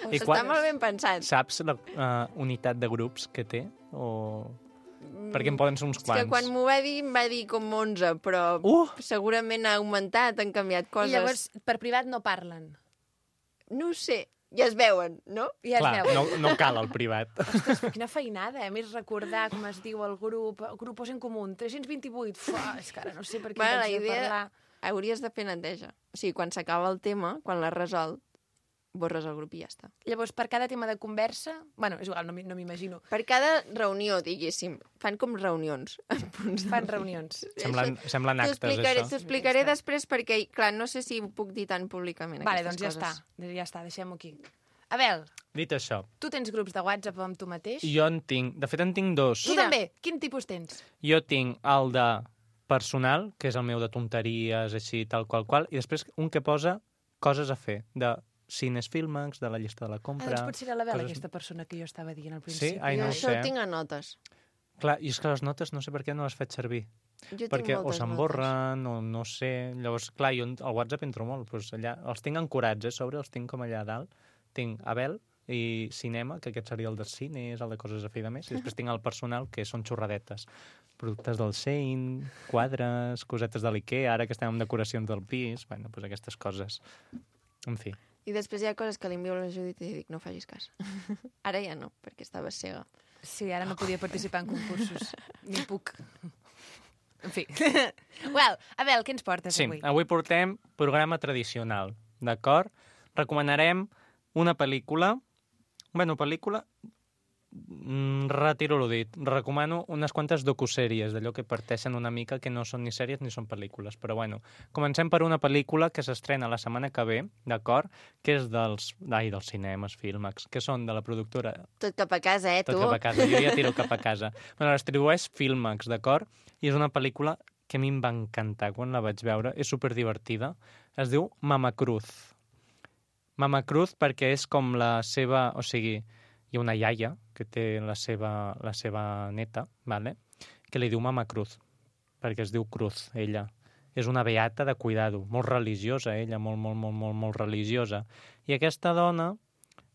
Està molt ben pensat. Saps la unitat de grups que té? Perquè en poden ser uns És quants. que quan m'ho va dir, em va dir com 11, però segurament ha augmentat, han canviat coses. I llavors, per privat no parlen. No ho sé, ja es veuen, no? Ja es Clar, veu. no cal el privat. Ostres, quina feinada, a més recordar com es diu el grup en comú, 328. Fuà, és que ara no sé per què Bueno, la penso de idea... parlar. Hauries de fer neteja. O sigui, quan s'acaba el tema, quan l'has resolt, borres el grup i ja està. Llavors, per cada tema de conversa... Bueno, és igual, no m'imagino. Per cada reunió, diguéssim, fan com reunions. Fan reunions. Semblen actes, això. T'ho explicaré després perquè, clar, no sé si ho puc dir tan públicament, Vale, aquestes doncs coses. ja està, deixem-ho aquí. Abel, Dit això, tu tens grups de WhatsApp amb tu mateix? jo en tinc... De fet, en tinc dos. Tu també? Quin tipus tens? Jo tinc el de personal, que és el meu de tonteries, així, tal qual, i després un que posa coses a fer, de cines Filmax, de la llista de la compra... Doncs potser era l'Abel, coses... aquesta persona que jo estava dient al principi. Sí? Ai, Jo no ho això sé. ho tinc a notes. Clar, i és que les notes no sé per què no les faig servir. Jo tinc Perquè o moltes s'emborren, o no sé... Llavors, clar, jo al WhatsApp entro molt. Doncs allà, els tinc ancorats, sobre, els tinc com allà a dalt. Tinc Abel i cinema, que aquest seria el dels cines, el de coses a fer de més, i després tinc el personal, que són xorradetes. Productes del Shein, quadres, cosetes de l'Ikea, ara que estem amb decoracions del pis, bueno, doncs aquestes coses. En fi. I després hi ha coses que li envio a la Judit i dic, no facis cas. Ara ja no, perquè estava cega. Sí, ara no podia participar en concursos. Ni puc. En fi. Well, Abel, què ens portes avui? Sí, avui portem programa tradicional, d'acord? Recomanarem una pel·lícula... Bueno, pel·lícula... Retiro lo dit. Recomano unes quantes docusèries, d'allò que parteixen una mica, que no són ni sèries ni són pel·lícules. Però bueno, comencem per una pel·lícula que s'estrena la setmana que ve, d'acord? Que és dels cinemes, Filmax, que són de la productora... Tot cap a casa, tu? Tot cap a casa, jo ja tiro cap a casa. Bueno, la distribueix Filmax, d'acord? I és una pel·lícula que a mi em va encantar quan la vaig veure. És superdivertida. Es diu Mama Cruz. Mama Cruz perquè és com la seva... O sigui, hi ha una iaia que té la seva neta, vale? Que li diu Mama Cruz, perquè es diu Cruz, ella. És una beata de cuidado, molt religiosa, ella, molt religiosa. I aquesta dona,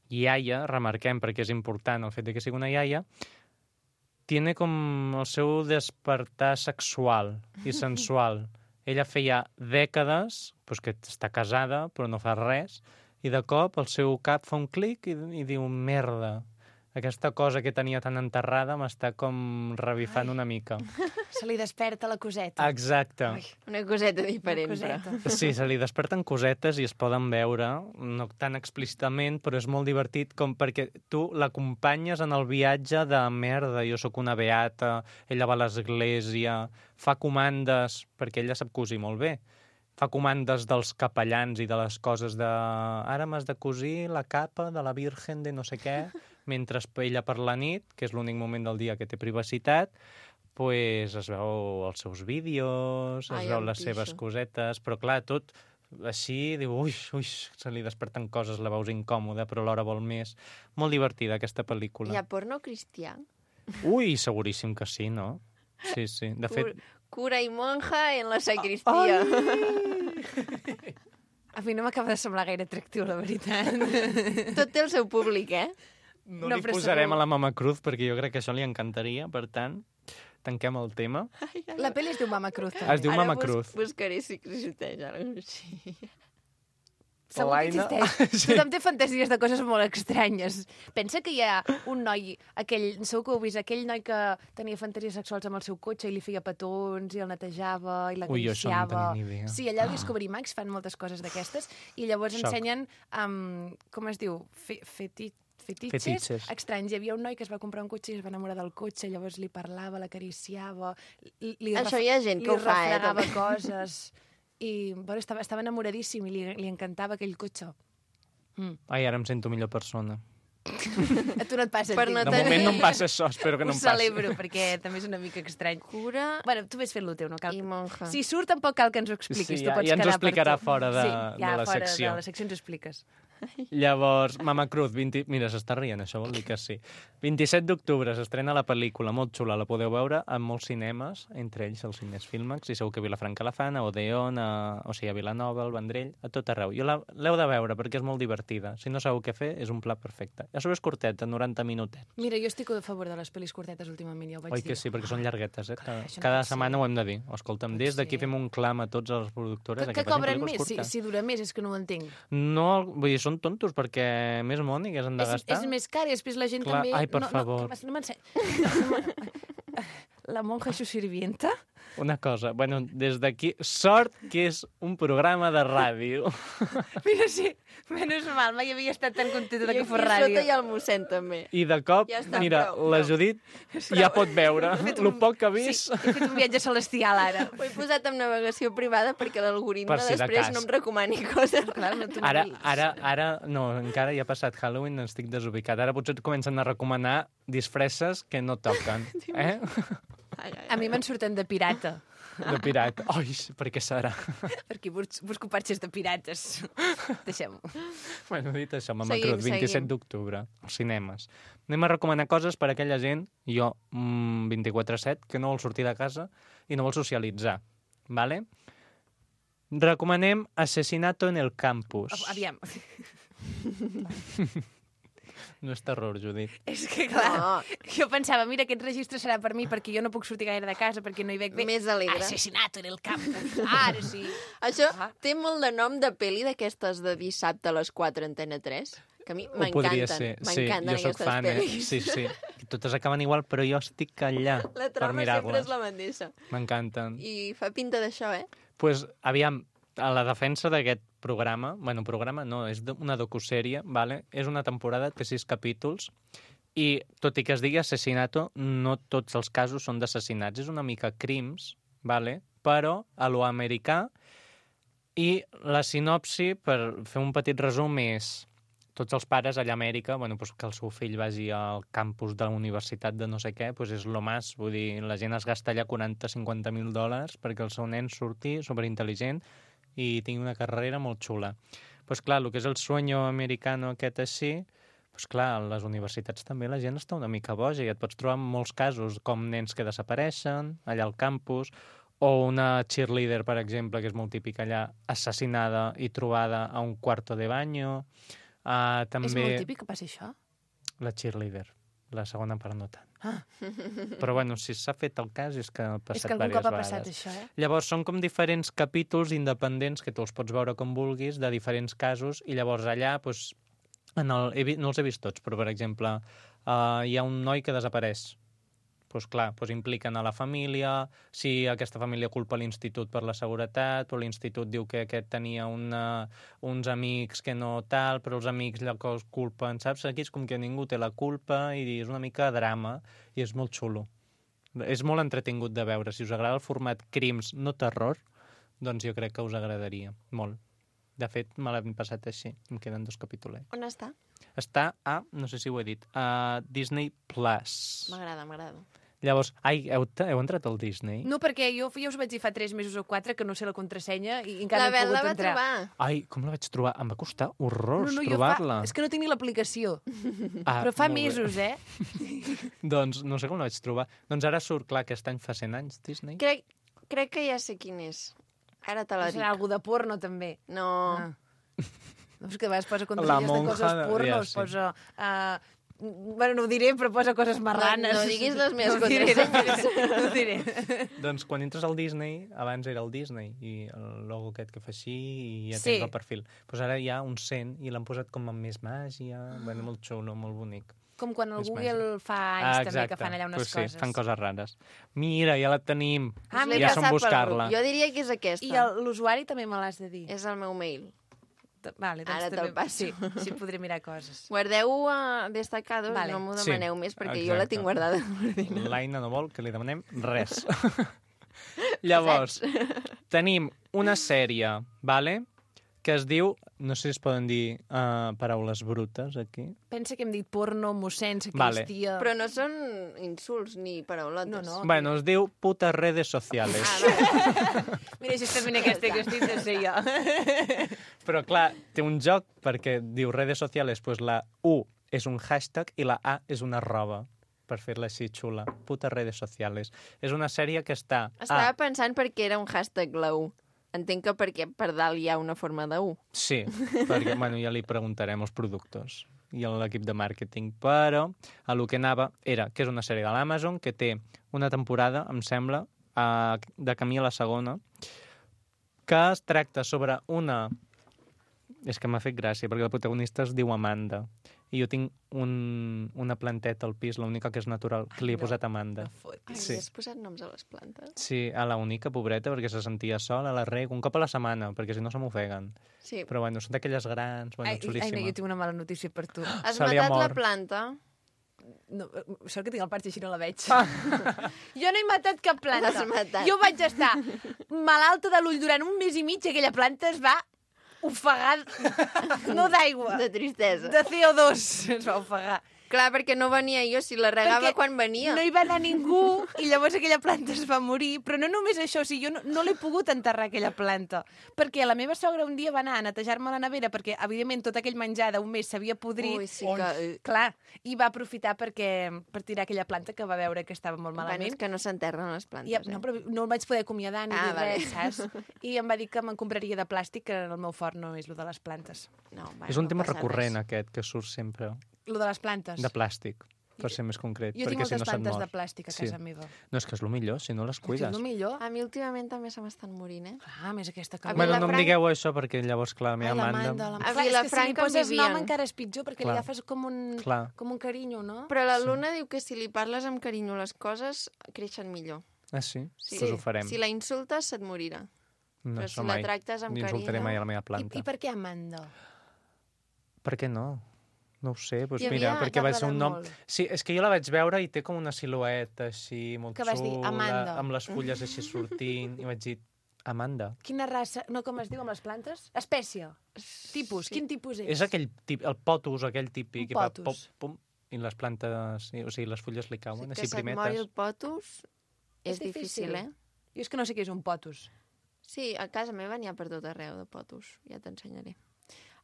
iaia, remarquem perquè és important el fet de que sigui una iaia, tiene com el seu despertar sexual i sensual. Ella feia dècades pues, que està casada, però no fa res, i de cop el seu cap fa un clic i diu, merda, aquesta cosa que tenia tan enterrada m'està com revifant una mica. Se li desperta la coseta. Exacte. Una coseta diferent, Una coseta. però. Sí, se li desperten cosetes i es poden veure, no tan explícitament, però és molt divertit com perquè tu l'acompanyes en el viatge de merda, jo sóc una beata, ella va a l'església, fa comandes, perquè ella sap cosir molt bé, fa comandes dels capellans i de les coses de... Ara m'has de cosir la capa de la Virgen de no sé què, mentre ella per la nit, que és l'únic moment del dia que té privacitat, pues es veu els seus vídeos, es veu les seves cosetes, però clar, tot així, diu, ui, se li desperten coses, la veus incòmoda, però alhora vol més. Molt divertida, aquesta pel·lícula. Hi ha porno cristià? Ui, seguríssim que sí, no? Sí, sí. De fet... Cura i monja en la sacristia. A mi no m'acaba de semblar gaire atractiu, la veritat. Tot té el seu públic, eh? No No, li però posarem segur. a la Mama Cruz perquè jo crec que això li encantaria, per tant, tanquem el tema. La pel·li es diu Mama Cruz, també. Es diu Mama Cruz. Buscaré si existeix ara. Sí. Segur que Laina. existeix. Sí. Tothom té fantasies de coses molt estranyes. Pensa que hi ha un noi, segur que ho heu vist, aquell noi que tenia fantasies sexuals amb el seu cotxe i li feia petons i el netejava i Ui, jo això no en l'acariciava. tenia ni idea. Sí, allà al Discovery Max fan moltes coses d'aquestes i llavors Xoc. ensenyen, com es diu, fetitxes Fetitxes. estranys. Hi havia un noi que es va comprar un cotxe i es va enamorar del cotxe, llavors li parlava, l'acariciava, Això hi ha gent que ho fa, refregava també. coses. I bueno, estava enamoradíssim i li encantava aquell cotxe. Ai, ara em sento millor persona. A tu no et passa, Per entenc. no De tenir- moment no em passa això, espero que no Ho em passi. celebro, perquè també és una mica estrany. Cura Bueno, tu ves fent-lo teu, no cal... i monja. Si surt, tampoc cal que ens ho expliquis. Sí, tu ja- pots ja ens ho quedar per explicarà tu. fora de- sí, de ja la fora secció. de la secció ens ho expliques. Llavors, Mama Cruz, mira, s'està rient, això vol dir que sí. 27 d'octubre s'estrena la pel·lícula, molt xula, la podeu veure en molts cinemes, entre ells els cines Filmax, i segur que a Vilafranca la fan, a Odeon, a Vilanova, al Vendrell, a tot arreu. L'heu de veure perquè és molt divertida. Si no sabeu què fer, és un pla perfecte. A sobre és curteta, 90 minutets. Mira, jo estic a favor de les pel·lis curtetes últimament, ja ho vaig dir. Oi que sí, perquè són llarguetes, eh? Això Cada no setmana ho hem de dir. Escolta'm, des d'aquí fem un clam a tots les productores. Que cobren més, si dura més, és que no ho entenc. No, vull dir, són tontos, perquè més money que s'han de gastar. És més car i després la gent Clar, també... ai, per favor. No m'ensenya. La monja i su sirvienta? Una cosa, bueno, des d'aquí, sort que és un programa de ràdio. Mira, sí, menys mal, mai havia estat tan contenta que fos I ràdio. sota hi ha el mossèn, també. I de cop, Ja està, mira, prou. la Judit ja pot veure el poc que ha vist. Sí, he fet un viatge celestial, ara. Ho he posat en navegació privada perquè l'algoritme Per si de després cas. no em recomani coses. Clar, no t'ho Ara, no, encara ja ha passat Halloween, estic desubicat. Ara potser et comencen a recomanar disfresses que no toquen, eh? A mi me'n surten de pirata, De pirata. Ai, per què serà? perquè busco patxes de pirates. Deixem-ho. Bueno, dit això, Mama Seguim, Cruz, 27 seguim. d'octubre, als cinemes. Anem a recomanar coses per a aquella gent, jo, 24/7, que no vol sortir de casa i no vol socialitzar, ¿vale? Recomanem Asesinato en el Campus. Aviam. No és terror, Judit. És que, clar, No. jo pensava, mira, aquest registre serà per mi perquè jo no puc sortir gaire de casa, perquè no hi veig bé. Més alegre. Asesinato en el campus. Ara sí. Això Ah. té molt de nom de pel·li d'aquestes de dissabte a les 4 Antena 3, que a mi Ho podria m'encanten. ser. Sí, M'encanten jo sóc aquestes fan, pel·lis. Sí, sí. Totes acaben igual, però jo estic allà La per trama sempre mirar-les. és la mateixa. M'encanten. I fa pinta d'això, eh? Pues, aviam, a la defensa d'aquest programa, programa no, és una docusèrie, vale? És una temporada, té 6 capítols, i tot i que es digui assassinato, no tots els casos són d'assassinats. És una mica crims, vale? Però a lo americà, i la sinopsi, per fer un petit resum, és tots els pares allà a Amèrica, que el seu fill vagi al campus de la universitat de no sé què, és lo más, vull dir, la gent es gasta allà 40-50 $50,000 perquè el seu nen surti superintel·ligent i tingui una carrera molt xula. Clar, el que és el sueño americano aquest així, clar, a les universitats també la gent està una mica boja i et pots trobar molts casos com nens que desapareixen allà al campus, o una cheerleader, per exemple, que és molt típica allà, assassinada i trobada a un cuarto de baño. També... És molt típic que passi això? La cheerleader. La segona part no tant. Ah. Però si s'ha fet el cas és que ha passat És que algun diverses cop ha vegades. passat això, eh? Llavors són com diferents capítols independents que tu els pots veure com vulguis, de diferents casos, i llavors allà, no els he vist tots, però per exemple, hi ha un noi que desapareix. Impliquen a la família, si aquesta família culpa l'institut per la seguretat, però l'institut diu que aquest tenia uns amics que no tal, però els amics llavors culpen, saps? Aquí és com que ningú té la culpa i és una mica drama i és molt xulo. És molt entretingut de veure. Si us agrada el format crims, no terror, doncs jo crec que us agradaria molt. De fet, me l'hem passat així. Em queden 2 capítols. On està? Està a, no sé si ho he dit, a Disney Plus. M'agrada. Llavors, heu entrat al Disney? No, perquè jo us vaig dir fa 3 mesos o 4 que no sé la contrasenya i encara La no he Bel pogut la va entrar. trobar. Ai, com la vaig trobar? Em va costar horrors jo trobar-la. És que no tinc ni l'aplicació. Ah, Però fa molt bé. mesos, eh? Doncs no sé com la vaig trobar. Doncs ara surt, clar, aquest any fa 100 anys, Disney. Crec que ja sé quin és. Ara te la dic. Serà algú de porno, també. No. Ah. No, és que a vegades posa La contrasenyes de monja coses de- pornos, ja, sí. posa... Bueno, no ho diré, però posa coses marranes. No diguis les meves No ho diré, contrasenyes. no ho diré. Doncs quan entres al Disney, abans era el Disney, i el logo aquest que fa així, i ja Sí. tens el perfil. Doncs ara hi ha un 100 i l'han posat com amb més màgia, molt xulo, molt bonic. Com quan el És Google fa anys també que fan allà unes pues sí, coses. fan coses rares. Mira, ja la tenim. Ah, L'he mira, ja som passat pel buscar-la. grup. Jo diria que és aquesta. I l'usuari també me l'has de dir. És el meu mail. Vale, doncs Ara te'l també... passo. Sí, podré mirar coses. Guardeu a destacados, Vale. no m'ho Sí, demaneu més, perquè jo exacte. la tinc guardada a l'ordinador. L'Aina no vol que li demanem res. Llavors, tenim una sèrie, vale? Que es diu no sé si es poden dir paraules brutes, aquí. Pensa que hem dit porno, mossèn, Vale. sacristia... Però no són insults ni paraulotes. No. Bueno, es diu putas redes sociales. Mira, justament aquesta que estic de ser jo. Però, clar, té un joc, perquè diu redes sociales, pues la U és un hashtag i la A és una arroba, per fer-la així xula. Putas redes sociales. És una sèrie que està... Estava pensant perquè era un hashtag la U. Entenc que perquè per dalt hi ha una forma de U. Sí, perquè bueno, ja li preguntarem als productors i a l'equip de màrqueting, però a lo que anava era que és una sèrie de l'Amazon que té una temporada, em sembla, de camí a la segona, que es tracta sobre una... És que m'ha fet gràcia, perquè la protagonista es diu Amanda. I jo tinc una planteta al pis, l'única que és natural, que li he posat Amanda. Ai, Sí. has posat noms a les plantes? Sí, a la única, pobreta, perquè se sentia sola, la reg, un cop a la setmana, perquè si no se m'ofeguen. Sí. Però bueno, són d'aquelles grans, bueno, xulíssima. jo tinc una mala notícia per tu. Has Se li ha matat la mort. planta? No, sort que tinc el parxe, així no la veig. Jo no he matat cap planta. L'has matat. Jo vaig estar malalta de l'ull durant un mes i mig i aquella planta es va ofegar, no d'aigua, De tristesa. de CO2 es va ofegar. Clar, perquè no venia jo, si la regava Perquè quan venia. No hi va anar ningú i llavors aquella planta es va morir. Però no només això, o sigui, jo no l'he pogut enterrar, aquella planta. Perquè la meva sogra un dia va anar a netejar-me la nevera perquè, evidentment, tot aquell menjar d'un mes s'havia podrit. Ui, sí que... Clar, i va aprofitar per tirar aquella planta que va veure que estava molt Bueno, malament. és que no s'enterren les plantes, I, no, però no el vaig poder acomiadar ni dir vale. res, saps? I em va dir que me'n compraria de plàstic, que el meu fort no és el de les plantes. No, bueno, És un no tema passa recurrent, res. aquest, que surt sempre. Lo de les plantes. De plàstic, per ser més concret. Jo tinc perquè si moltes no se't plantes mor. de plàstic a casa meva. No, és que és el millor, si no les És cuides. el millor. A mi últimament també se m'estan morint, eh? Clar, més aquesta que... A Bueno, no em Vilafranca- digueu això, perquè llavors, clar, la meva Amanda... A Clar, és que si li Vilafranca en poses nom vivien. encara és pitjor, perquè Clar. li agafes com un carinyo, no? Però la Luna diu que si li parles amb carinyo les coses, creixen millor. Ah, sí? Sí. Doncs ho farem. Si la insultes, se't morirà. No, però això si la mai. tractes amb Insultaré carinyo- mai a la meva planta. I per què Amanda? Per què no? No ho sé, doncs Hi mira, havia- perquè va t'ha ser un nom... agradat molt. Sí, és que jo la vaig veure i té com una silueta així, molt Que vas dir, xula, Amanda. amb les fulles així sortint, i vaig dir, Amanda. Quina raça... No, com es diu amb les plantes? Espècie. Tipus. Quin tipus és? És aquell el potus, aquell típic, Un que fa potus. pom, pom, i les plantes, o sigui, les fulles li cauen, que així se't mori primetes. el potus és difícil, eh? Jo és que no sé què és un potus. Sí, a casa meva n'hi ha per tot arreu de potus. Ja t'ensenyaré.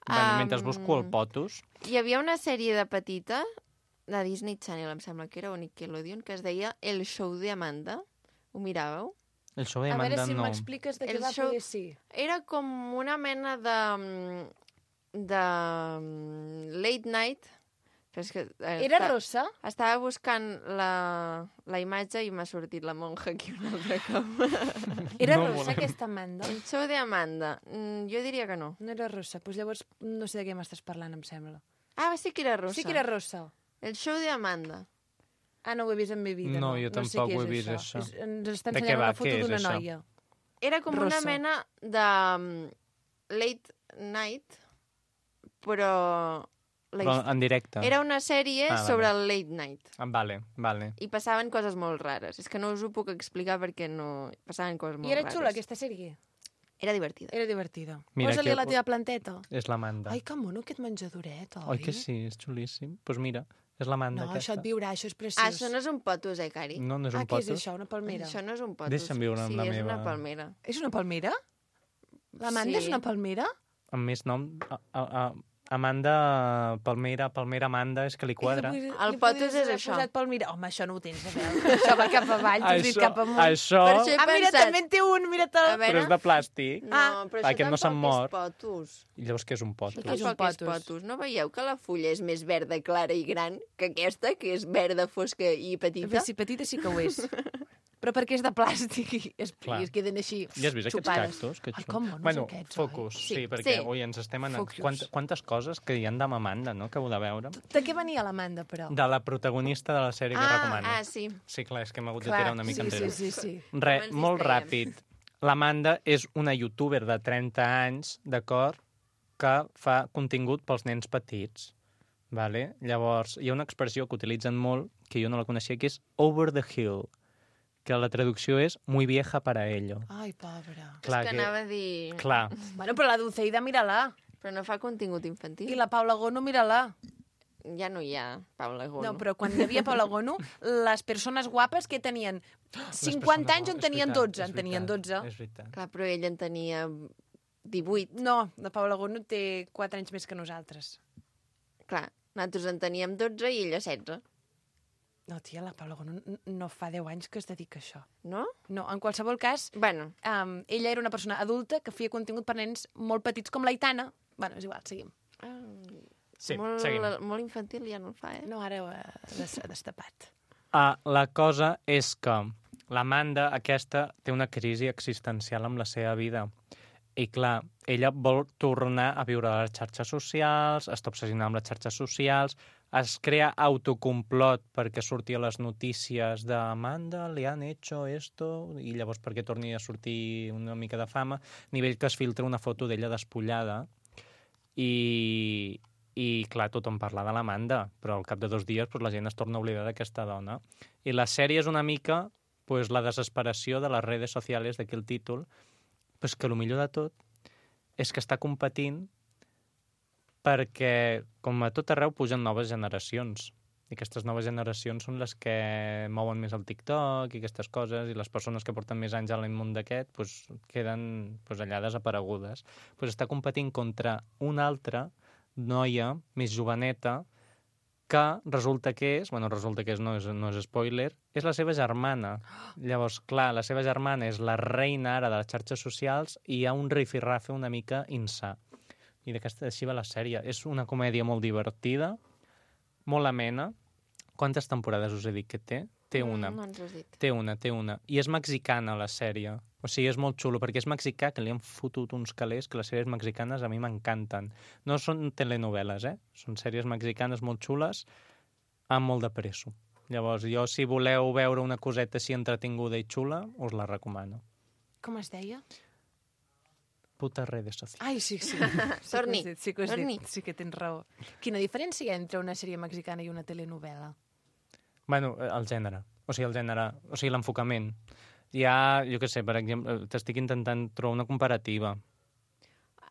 Bueno, mentre busco el potus, Hi havia una sèrie de petita, de Disney Channel, em sembla que era, o Nickelodeon, que es deia El show de Amanda. Ho miràveu? el show de A veure Amanda si no. m'expliques de què El va show- poder sí. Era com una mena de late night. Però és que, Era rossa? Estava buscant la imatge i m'ha sortit la monja aquí un altre cop. Era No rossa volem. aquesta Amanda? El show de Amanda. Jo diria que no. No era rossa. Doncs llavors no sé de què m'estàs parlant, em sembla. Ah, sí que era rossa. Sí que era rossa. El show de Amanda. Ah, no ho he vist en mi vida. No, jo sé tampoc què ho he és vist, això. Ens està De què ensenyant va? una foto Què és d'una això? noia. Era com Rossa. una mena de late night, però... Però en directe. Era una sèrie Ah, vale. sobre el late night. Ah, vale. I passaven coses molt rares. És que no us ho puc explicar perquè no... Passaven coses molt I era rares. xula, aquesta sèrie? Era divertida. Era divertida. Mira, Posa-li que- a la teva planteta. És l'Amanda. Ai, que mono aquest menjadoret, oi? Oi que sí? És xulíssim. Doncs pues mira, és l'Amanda No, aquesta. això et viurà, això és preciós. Ah, això no és un potus, Cari? No, no és un què és potus. això, una palmera? Això no és un potus. Deixa'm viure amb sí, la és meva- una palmera. És una palmera? L'Amanda Sí. és una palmera? Amb més nom... Amanda, Palmera, Amanda, és que li quadra. El potus és això. Posat palmera. Home, això no ho tens a veure. Això va cap avall, tu has dit cap amunt. Això... Per això he Ah, mira, pensat. també en té un, mira A te'l... veure... Però és de plàstic. No, però això Aquest no se'n tampoc mor. és potus. I llavors què és un potus? Què és un Tampoc és potus? potus. No veieu que la fulla és més verda, clara i gran que aquesta, que és verda, fosca i petita? Si petita sí que ho és. Però perquè és de plàstic i es queden així Ja has vist aquests xupades. cactus? Que Ai, com monos bueno, aquests, focus, oi? sí, perquè Sí. ui, ens estem anant... Focus. Quantes coses que hi han de Amanda, no?, que heu de veure. De què venia l'Amanda, però? De la protagonista de la sèrie que recomano. sí. Sí, clar, és que m'ha hagut de tirar una mica sí, enrere. sí. Res, Com ens molt distreiem. ràpid. L'Amanda és una youtuber de 30 anys, d'acord, que fa contingut pels nens petits. Vale? Llavors, hi ha una expressió que utilitzen molt, que jo no la coneixia, que és over the hill, que la traducció és muy vieja para ello. Ai, pobra. Clar, És que anava a dir... Clar, Bueno, però la Dulceida, mira-la. Però no fa contingut infantil. I la Paula Gono, mira-la. Ja no hi ha Paula Gono. No, però quan hi havia Paula Gono, les persones guapes que tenien 50 anys on tenien 12. En tenien 12. És veritat. Clar, però ell en tenia 18. No, la Paula Gono té 4 anys més que nosaltres. Clar, nosaltres en teníem 12 i ella 16. No, tia, la Paula Gono no fa 10 anys que es dedica a això. No? No, en qualsevol cas, Bueno, ella era una persona adulta que feia contingut per nens molt petits com l'Aitana. Bueno, és igual, seguim. Sí, molt, seguim. molt infantil ja no el fa, No, ara ho ha destapat. La cosa és que l'Amanda aquesta té una crisi existencial amb la seva vida. I clar, ella vol tornar a viure a les xarxes socials, està obsessionada amb les xarxes socials, es crea autocomplot perquè surti a les notícies d'Amanda, li han hecho esto, i llavors perquè torni a sortir una mica de fama, a nivell que es filtra una foto d'ella despullada, i clar, tothom parla de l'Amanda, però al cap de 2 dies la gent es torna a oblidar d'aquesta dona. I la sèrie és una mica la desesperació de les redes socials, d'aquí el títol, que el millor de tot és que està competint perquè, com a tot arreu, pugen noves generacions. I aquestes noves generacions són les que mouen més el TikTok i aquestes coses, i les persones que porten més anys a l'món d'aquest queden allà desaparegudes. Està competint contra una altra noia més joveneta que resulta que és, no és spoiler, és la seva germana. Llavors, clar, la seva germana és la reina ara de les xarxes socials i hi ha un rifirrafe una mica insà. I així va la sèrie. És una comèdia molt divertida, molt amena. Quantes temporades us he dit que té? Té una. No ens has dit. Té una. I és mexicana, la sèrie. O sigui, és molt xulo, perquè és mexicà, que li han fotut uns calés, que les sèries mexicanes a mi m'encanten. No són telenovel·les, Són sèries mexicanes molt xules, amb molt de presso. Llavors, jo, si voleu veure una coseta així entretinguda i xula, us la recomano. Com es deia? Puta redes socials. Ai, sí. Torni. Sí que sí que tens raó. Quina diferència hi ha entre una sèrie mexicana i una telenovela? Bueno, el gènere, l'enfocament. Hi ha, jo què sé, per exemple, t'estic intentant trobar una comparativa.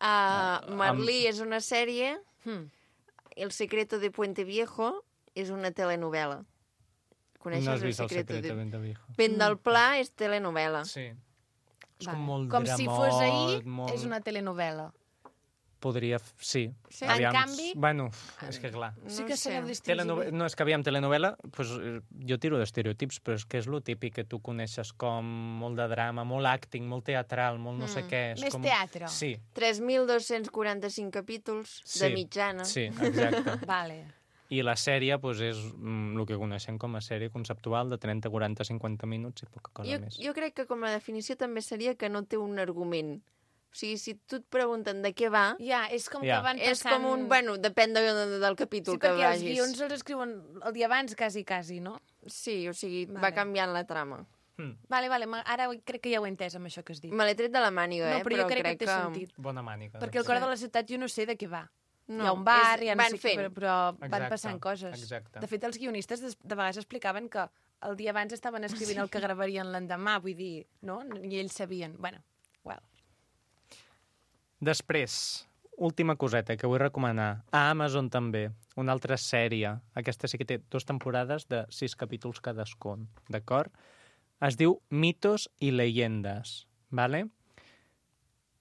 Merlí és una sèrie, El secreto de Puente Viejo és una telenovela. Coneixes No has vist El secreto de Puente Viejo. Vent del Pla és telenovela. Sí. És Vale. com molt Com dramot, si fos ahir, molt... és una telenovela. Podria... Sí. Sí. En canvi- Bueno, és que clar. Sí que sé. sabeu distingir. No, és que aviam, telenovela, jo tiro d'estereotips, però és que és lo típic que tu coneixes com molt de drama, molt acting, molt teatral, molt no sé què. És Més com... teatre. Sí. 3.245 capítols de mitjana. Sí, exacte. Vale. I la sèrie és el que coneixem com a sèrie conceptual de 30, 40, 50 minuts i poca cosa més. Jo crec que com a definició també seria que no té un argument. O sigui, si tu et pregunten de què va, Ja, és com Ja. que van passant... és com un... Bueno, depèn del capítol Sí, que perquè els vagis. guions els escriuen el dia abans, quasi, no? Sí, o sigui, Vale. va canviant la trama. Vale, ara crec que ja ho he entès amb això que has dit. Me l'he tret de la màniga, No, però jo crec que crec té sentit. Bona mànica. Perquè el cor de la ciutat jo no sé de què va. No, hi ha un bar, és- hi ha no van sé què, fent. però van Exacte, passant coses. exacte. De fet, els guionistes de vegades explicaven que el dia abans estaven escrivint el que gravarien l'endemà, vull dir, no? I ells sabien. Bueno, well. Després, última coseta que vull recomanar. A Amazon també, una altra sèrie. Aquesta sí que té 2 temporades de 6 capítols cadascun, d'acord? Es diu Mitos i Leyendas, ¿vale?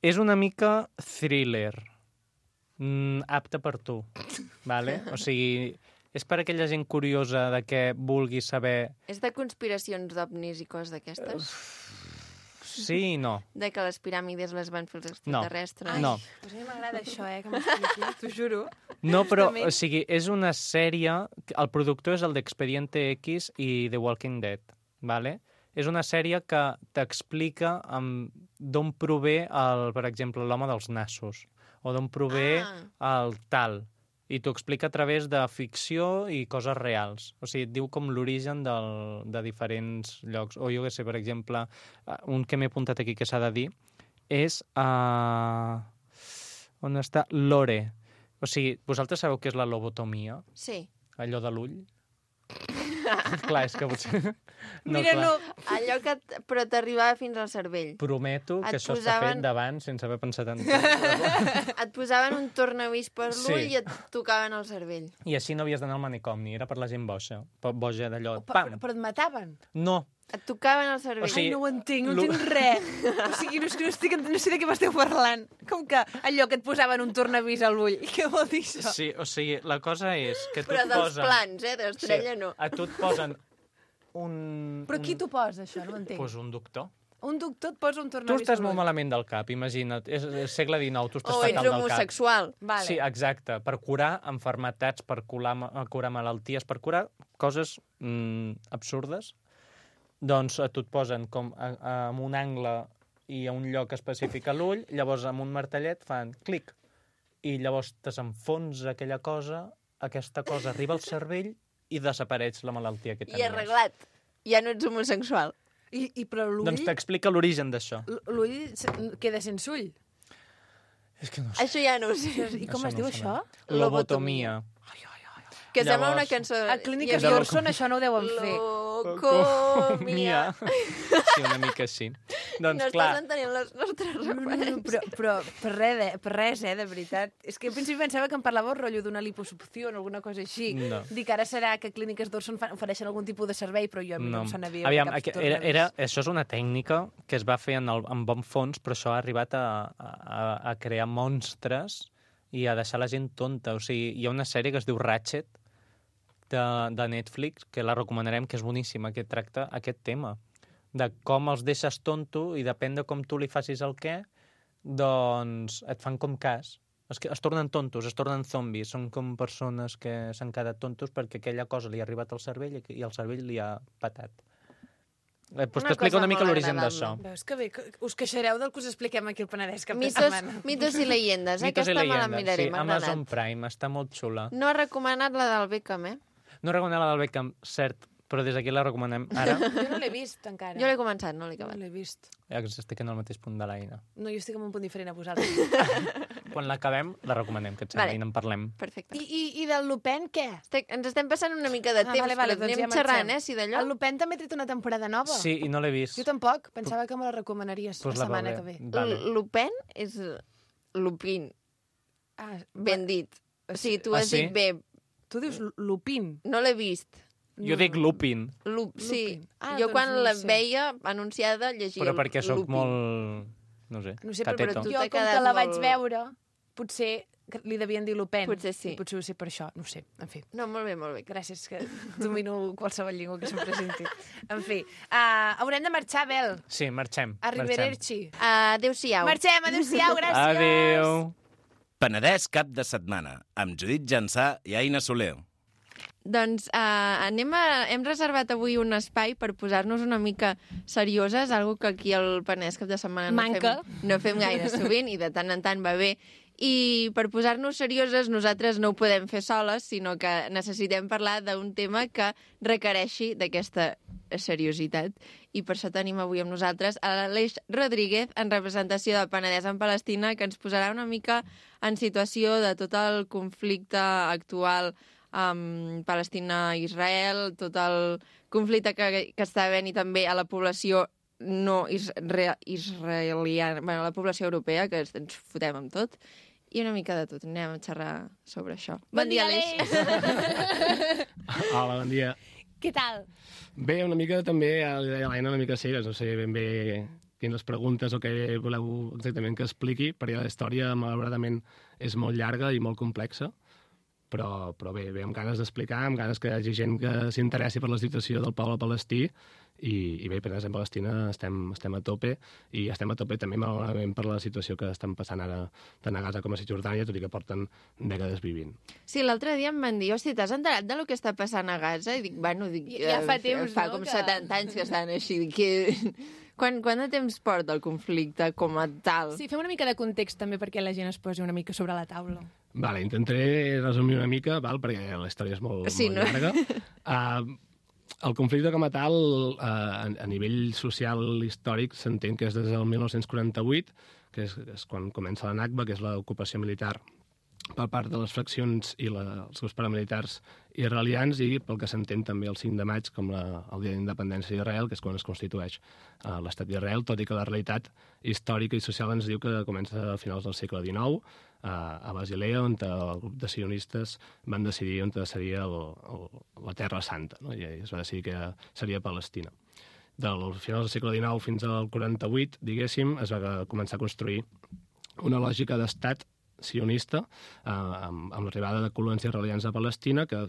És una mica thriller, apte per tu, ¿vale? O sigui, és per aquella gent curiosa de que vulgui saber... És de conspiracions d'ovnis i coses d'aquestes? Sí i no. De que les piràmides les van fer els extraterrestres? No. Pues a mi m'agrada això, que m'expliqui, t'ho juro. No, però, Justament. o sigui, és una sèrie... El productor és el d'Expediente X i The Walking Dead, ¿vale? És una sèrie que t'explica d'on prové, per exemple, l'home dels nassos, o d'on prové el tal. I t'ho explica a través de ficció i coses reals. O sigui, et diu com l'origen de diferents llocs. O jo què sé, per exemple, un que m'he apuntat aquí que s'ha de dir és... on està? Lore. O sigui, vosaltres sabeu què és la lobotomia? Sí. Allò de l'ull? Clar, és que potser... Mira, clar. no. Allò que però t'arribava fins al cervell. Prometo que Et això està posaven- fet d'abans sense haver pensat en... Et posaven un tornavís per Sí. l'ull i et tocaven el cervell. I així no havies d'anar al manicomi, era per la gent boja. Boja d'allò... Però et mataven. No, Et tocaven el cervell. O sigui, Ai, no ho entenc, no lo- entenc res. O sigui, no sé de què m'esteu parlant. Com que allò que et posaven un tornavís a l'ull. Què vol dir això? sí, o sigui, la cosa és que tu Però et dels posen... plans, d'estrella no. A tu et posen un... Però qui t'ho posa, això? No ho entenc. Pues un doctor. Un doctor et posa un Tu tornavís estàs a molt l'ull. malament del cap, imagina't. És segle XIX, tu estàs O fatal ets del cap. homosexual. Vale. Sí, exacte. Per curar enfermetats, per curar malalties, per curar coses absurdes, doncs a tu et posen com en un angle i a un lloc específic a l'ull, llavors amb un martellet fan clic, i llavors desenfonsa aquella cosa, aquesta cosa arriba al cervell i desapareix la malaltia que tenies. I arreglat. Ja no ets homosexual. Però l'ull... Doncs t'explica l'origen d'això. L'ull queda sense ull. És que no ho sé. Això ja no ho sé. I com Això es diu no ho sé. això? Lobotomia. Que sembla Llavors- una cançó... A Clíniques Ja- d'Orson això no ho deuen fer. Locomia. Sí, una mica així. Doncs No clar, estàs entenent les nostres referències. Però per res, de veritat. És que al principi pensava que em parlàveu rotllo d'una liposucció o alguna cosa així. No. Dic, ara serà que Clíniques d'Orson ofereixen algun tipus de servei, però jo a mi no em sona bé. Aviam, això és una tècnica que es va fer en bon fons, però això ha arribat a crear monstres i a deixar la gent tonta. O sigui, hi ha una sèrie que es diu Ratchet, de Netflix, que la recomanarem, que és boníssima, que tracta aquest tema, de com els deixes tonto i depèn de com tu li facis el què, doncs et fan com cas. Es tornen tontos, es tornen zombis, són com persones que s'han quedat tontos perquè aquella cosa li ha arribat al cervell i el cervell li ha patat. Doncs Una t'explico cosa una mica molt l'origen d'això. agradable. Veus que bé, que us queixareu del que us expliquem aquí al Penedès cap de Mitos, setmana. mitos i llegendes. Mitos i Aquesta me la llegendes, miraré, sí, m'ha Amazon agradat. Prime, està molt xula. No ha recomanat la del Beckham, eh? No recomano la del Beckham, cert, però des d'aquí la recomanem ara. Jo no l'he vist encara. Jo l'he començat, no l'he no acabat. l'he vist. Estic en el mateix punt de l'Aina. No, jo estic en un punt diferent a vosaltres. Quan l'acabem, la recomanem, que et sembla, Vale. i en parlem. Perfecte. I del Lupin, què? Ens estem passant una mica de temps, vale, però doncs anem ja xerrant, marxem. si d'allò... El Lupin també ha tret una temporada nova. Sí, i no l'he vist. Jo tampoc. Pensava que me la recomanaries Pues la setmana que veuré. ve. Vale. Lupin és Lupin, Ah, ben dit. O sigui, tu has sí? dit bé. tu dius Lupin. No l'he vist. Jo dic Lupin, Sí. Lupin. Ah, Jo doncs quan no la sé. veia anunciada llegia però perquè sóc Lupin. molt... No sé, No sé, cateto. tu jo t'ha com que quedat la vaig molt- veure, potser que li devien dir Lupin. Potser sí. I potser ho sé per això, no ho sé. En fi, No, molt bé, molt bé. gràcies que domino qualsevol llengua que se'm presenti. En fi, haurem de marxar, Bel. Sí, marxem. Arrivederci. Adéu-siau. Marxem, adéu-siau, gràcies. Adéu. Penedès cap de setmana, amb Judit Jansà i Aina Soler. Doncs hem reservat avui un espai per posar-nos una mica serioses, algo que aquí al Penedès cap de setmana Manca. no fem gaire sovint i de tant en tant va bé. I per posar-nos serioses nosaltres no ho podem fer soles, sinó que necessitem parlar d'un tema que requereixi d'aquesta seriositat. I per això tenim avui amb nosaltres a l'Aleix Rodríguez, en representació del Penedès en Palestina, que ens posarà una mica en situació de tot el conflicte actual amb Palestina-Israel, tot el conflicte que està havent i també a la població no israeliana, bueno, la població europea, que ens fotem amb tot, i una mica de tot. Anem a xerrar sobre això. Bon dia, Aleix. Hola, bon dia. Què tal? Bé, una mica també, li deia l'Aina, una mica cegues, no sé ben bé quines preguntes o què voleu exactament que expliqui, perquè la història, malauradament, és molt llarga i molt complexa, però bé, amb ganes d'explicar, amb ganes que hi hagi gent que s'interessi per la situació del poble palestí, i bé, Penedès en Palestina estem a tope, i estem a tope també malauradament per la situació que estan passant ara tant a Gaza com a Cisjordània, tot i que porten dècades vivint. Sí, l'altre dia em van dir, hosti, t'has enterat de lo que està passant a Gaza? I dic, bueno, Ja fa temps, fa no, com que- 70 anys que estan així. Dic, Quant de temps porta el conflicte com a tal? Sí, fem una mica de context també perquè la gent es posi una mica sobre la taula. Vale, intentaré resumir una mica, perquè la història és molt llarga. El conflicte com a tal, a nivell social històric, s'entén que és des del 1948, que és quan comença la Nakba, que és l'ocupació militar per part de les fraccions i els grups paramilitars israelians i pel que s'entén també el 5 de maig com el Dia d'Independència d'Israel, que és quan es constitueix l'estat d'Israel, tot i que la realitat històrica i social ens diu que comença a finals del segle XIX, a Basilea, on el grup de sionistes van decidir on seria la Terra Santa, no? I es va decidir que seria Palestina. Del final del segle XIX fins al 48, diguéssim, es va començar a construir una lògica d'estat sionista amb l'arribada de colons israelians a Palestina, que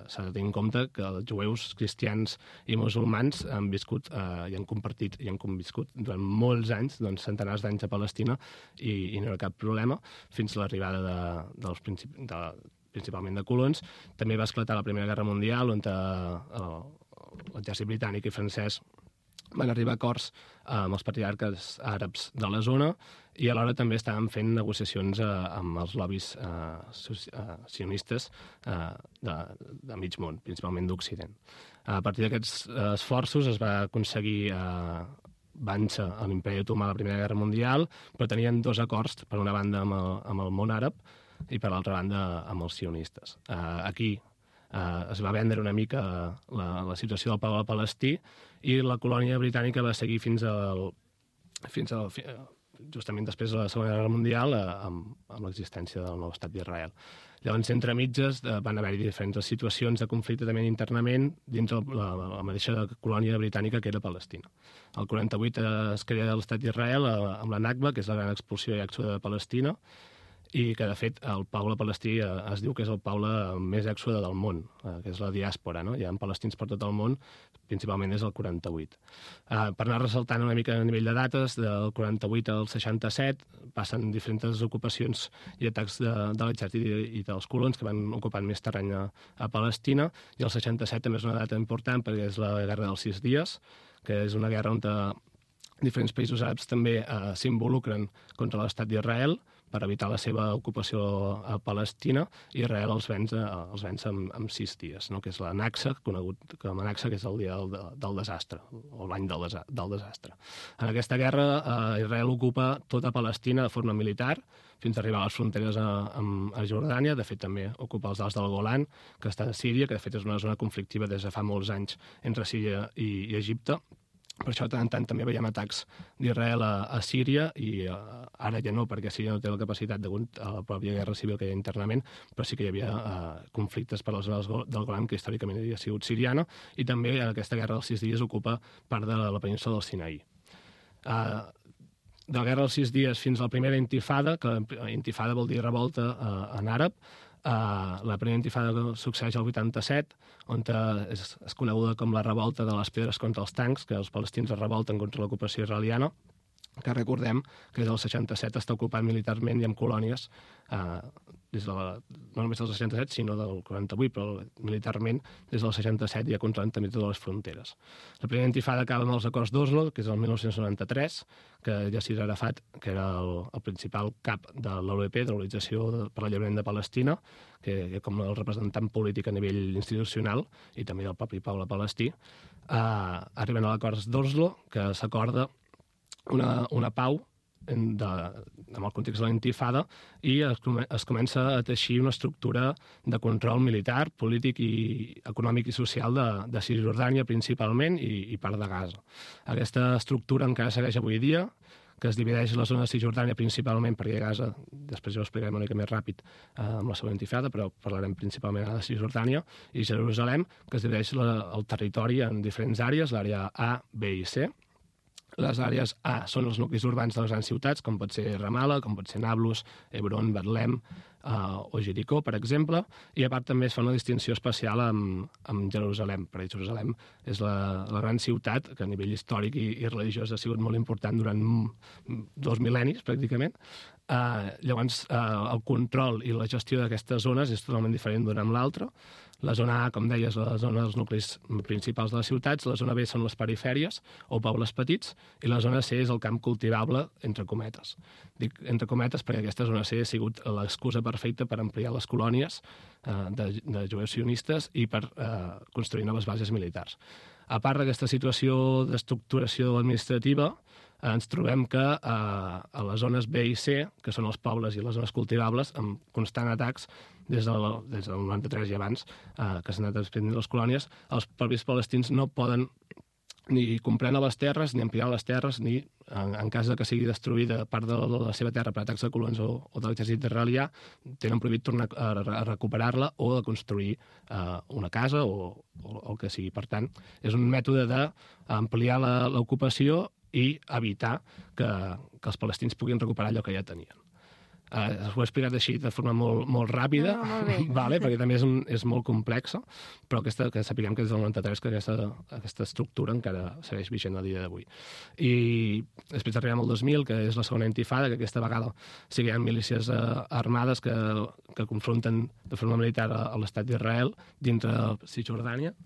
s'ha de tenir en compte que els jueus, cristians i musulmans han viscut i han compartit i han conviscut durant molts anys, doncs centenars d'anys a Palestina, i no hi ha cap problema, fins a l'arribada principalment de colons. També va esclatar la Primera Guerra Mundial, on l'exèrcit britànic i francès van arribar a acords amb els patriarques àrabs de la zona i alhora també estaven fent negociacions amb els lobbies sionistes de mig món, principalment d'Occident. A partir d'aquests esforços es va aconseguir vèncer a l'Imperi Otomà a la Primera Guerra Mundial, però tenien dos acords, per una banda amb el món àrab i per l'altra banda amb els sionistes. Aquí es va vendre una mica la situació del poble palestí i la colònia britànica va seguir fins justament després de la Segona Guerra Mundial amb l'existència del nou estat d'Israel. Llavors, entre mitges, van haver-hi diferents situacions de conflicte també internament dins la mateixa colònia britànica que era Palestina. El 48 es crea l'estat d'Israel amb la Nakba, que és la gran expulsió i èxode de Palestina, i que, de fet, el poble palestí es diu que és el poble més èxode del món, que és la diàspora, no? Hi ha palestins per tot el món, principalment des del 48. Per anar ressaltant una mica a nivell de dates, del 48 al 67 passen diferents ocupacions i atacs de l'exèrcit i dels colons que van ocupant més terreny a Palestina, i el 67 també és una data important perquè és la Guerra dels 6 dies, que és una guerra on diferents països àrabs també s'involucren contra l'estat d'Israel per evitar la seva ocupació a Palestina, i Israel els venç en 6 dies, no? Que és la Naksa, conegut com a Naksa, que és el dia del desastre, o l'any del desastre. En aquesta guerra, Israel ocupa tota Palestina de forma militar, fins a arribar a les fronteres a Jordània. De fet, també ocupa els Alts del Golan, que està a Síria, que de fet és una zona conflictiva des de fa molts anys entre Síria i Egipte. Per això, tant en tant, també veiem atacs d'Israel a Síria, i ara ja no, perquè Síria no té la capacitat degut a la pròpia guerra civil que hi ha internament, però sí que hi havia conflictes per les zones del Golan, que històricament havia sigut siriana, i també aquesta guerra dels 6 dies ocupa part de la península del Sinaí. De la guerra dels 6 dies fins a la primera intifada, que intifada vol dir revolta en àrab, la primera intifada succeeix al 87, on és coneguda com la revolta de les pedres contra els tancs, que els palestins es revolten contra l'ocupació israeliana, que recordem que des del 67 està ocupat militarment i amb colònies, no només del 67, sinó del 48, però militarment des del 67 ja controlant també totes les fronteres. La primera intifada acaba amb els acords d'Oslo, que és el 1993, que Yasser Arafat, que era el principal cap de l'OLP, de l'Organització per l'Alliberament de Palestina, que com el representant polític a nivell institucional i també del propi poble palestí, arriben a l'acords d'Oslo, que s'acorda una pau amb el context de la intifada, i es comença a teixir una estructura de control militar, polític i econòmic i social de Cisjordània principalment i part de Gaza. Aquesta estructura encara segueix avui dia, que es divideix la zona de Cisjordània principalment, perquè Gaza, després ja ho explicarem una mica més ràpid amb la següent intifada, però parlarem principalment de Cisjordània, i Jerusalem, que es divideix el territori en diferents àrees, l'àrea A, B i C. Les àrees A són els nuclis urbans de les grans ciutats, com pot ser Ramallah, com pot ser Nablus, Hebron, Betlem o Jericó, per exemple, i a part també es fa una distinció especial amb Jerusalem, perquè Jerusalem és la gran ciutat que a nivell històric i religiós ha sigut molt important durant 2 mil·lennis, pràcticament. Llavors, el control i la gestió d'aquestes zones és totalment diferent d'una amb l'altra. La zona A, com deies, la zona dels nuclis principals de les ciutats, la zona B són les perifèries o pobles petits, i la zona C és el camp cultivable, entre cometes. Dic entre cometes perquè aquesta zona C ha sigut l'excusa perfecta per ampliar les colònies de jueus sionistes i per construir noves bases militars. A part d'aquesta situació d'estructuració administrativa, ens trobem que a les zones B i C, que són els pobles i les zones cultivables, amb constants atacs des del 93 i abans, que s'han anat expandint les colònies, els propis palestins no poden ni comprar noves terres, ni ampliar les terres, ni, en cas de que sigui destruïda part de la seva terra per atacs de colons o de l'exèrcit israelià, tenen prohibit tornar a recuperar-la o a construir una casa o el que sigui. Per tant, és un mètode d'ampliar l'ocupació i evitar que els palestins puguin recuperar allò que ja tenien. Ho he explicat així de forma molt ràpida, vale, perquè també és molt complexa, però que sapiguem que des del 93 que aquesta estructura encara segueix vigent a dia d'avui. I després arribem al 2000, que és la segona intifada, que aquesta vegada sí que hi ha milícies armades que confronten de forma militar a l'estat d'Israel dintre de Cisjordània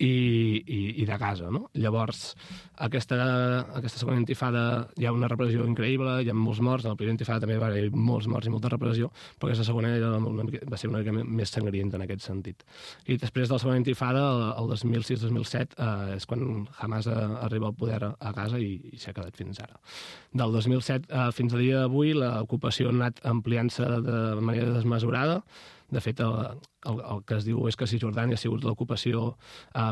i de Gaza, no? Llavors, aquesta segona intifada hi ha una repressió increïble, hi ha molts morts, en la primera intifada també va haver molts morts i molta repressió, però aquesta segona va ser una mica més sangrienta en aquest sentit. I després de la segona intifada, el 2006-2007, és quan Hamas arriba al poder a Gaza i s'ha quedat fins ara. Del 2007 fins al dia d'avui, l'ocupació ha anat ampliant-se de manera desmesurada. De fet, el que es diu és que Cisjordània ha sigut l'ocupació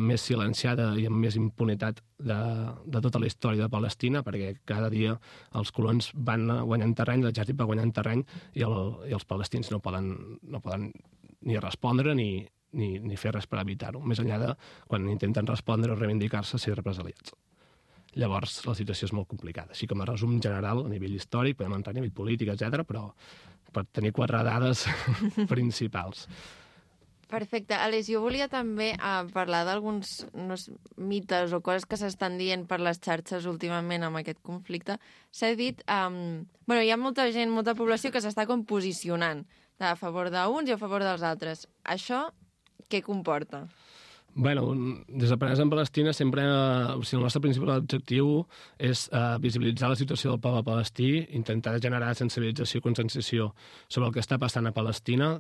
més silenciada i amb més impunitat de tota la història de Palestina, perquè cada dia els colons van guanyant terreny, l'exèrcit va guanyant terreny i els palestins no poden ni respondre ni fer res per evitar-ho, més enllà de quan intenten respondre o reivindicar-se ser represaliats. Llavors, la situació és molt complicada. Així com a resum general, a nivell històric, podem entrar a nivell polític, etc., però per tenir 4 dades principals. Perfecte. Aleix, jo volia també parlar d'alguns mites o coses que s'estan dient per les xarxes últimament amb aquest conflicte. S'ha dit... hi ha molta gent, molta població que s'està com posicionant a favor d'uns i a favor dels altres. Això què comporta? Bueno, des de Penedès en Palestina sempre, el nostre principal objectiu és visibilitzar la situació del poble palestí, intentar generar sensibilització i conscienciació sobre el que està passant a Palestina.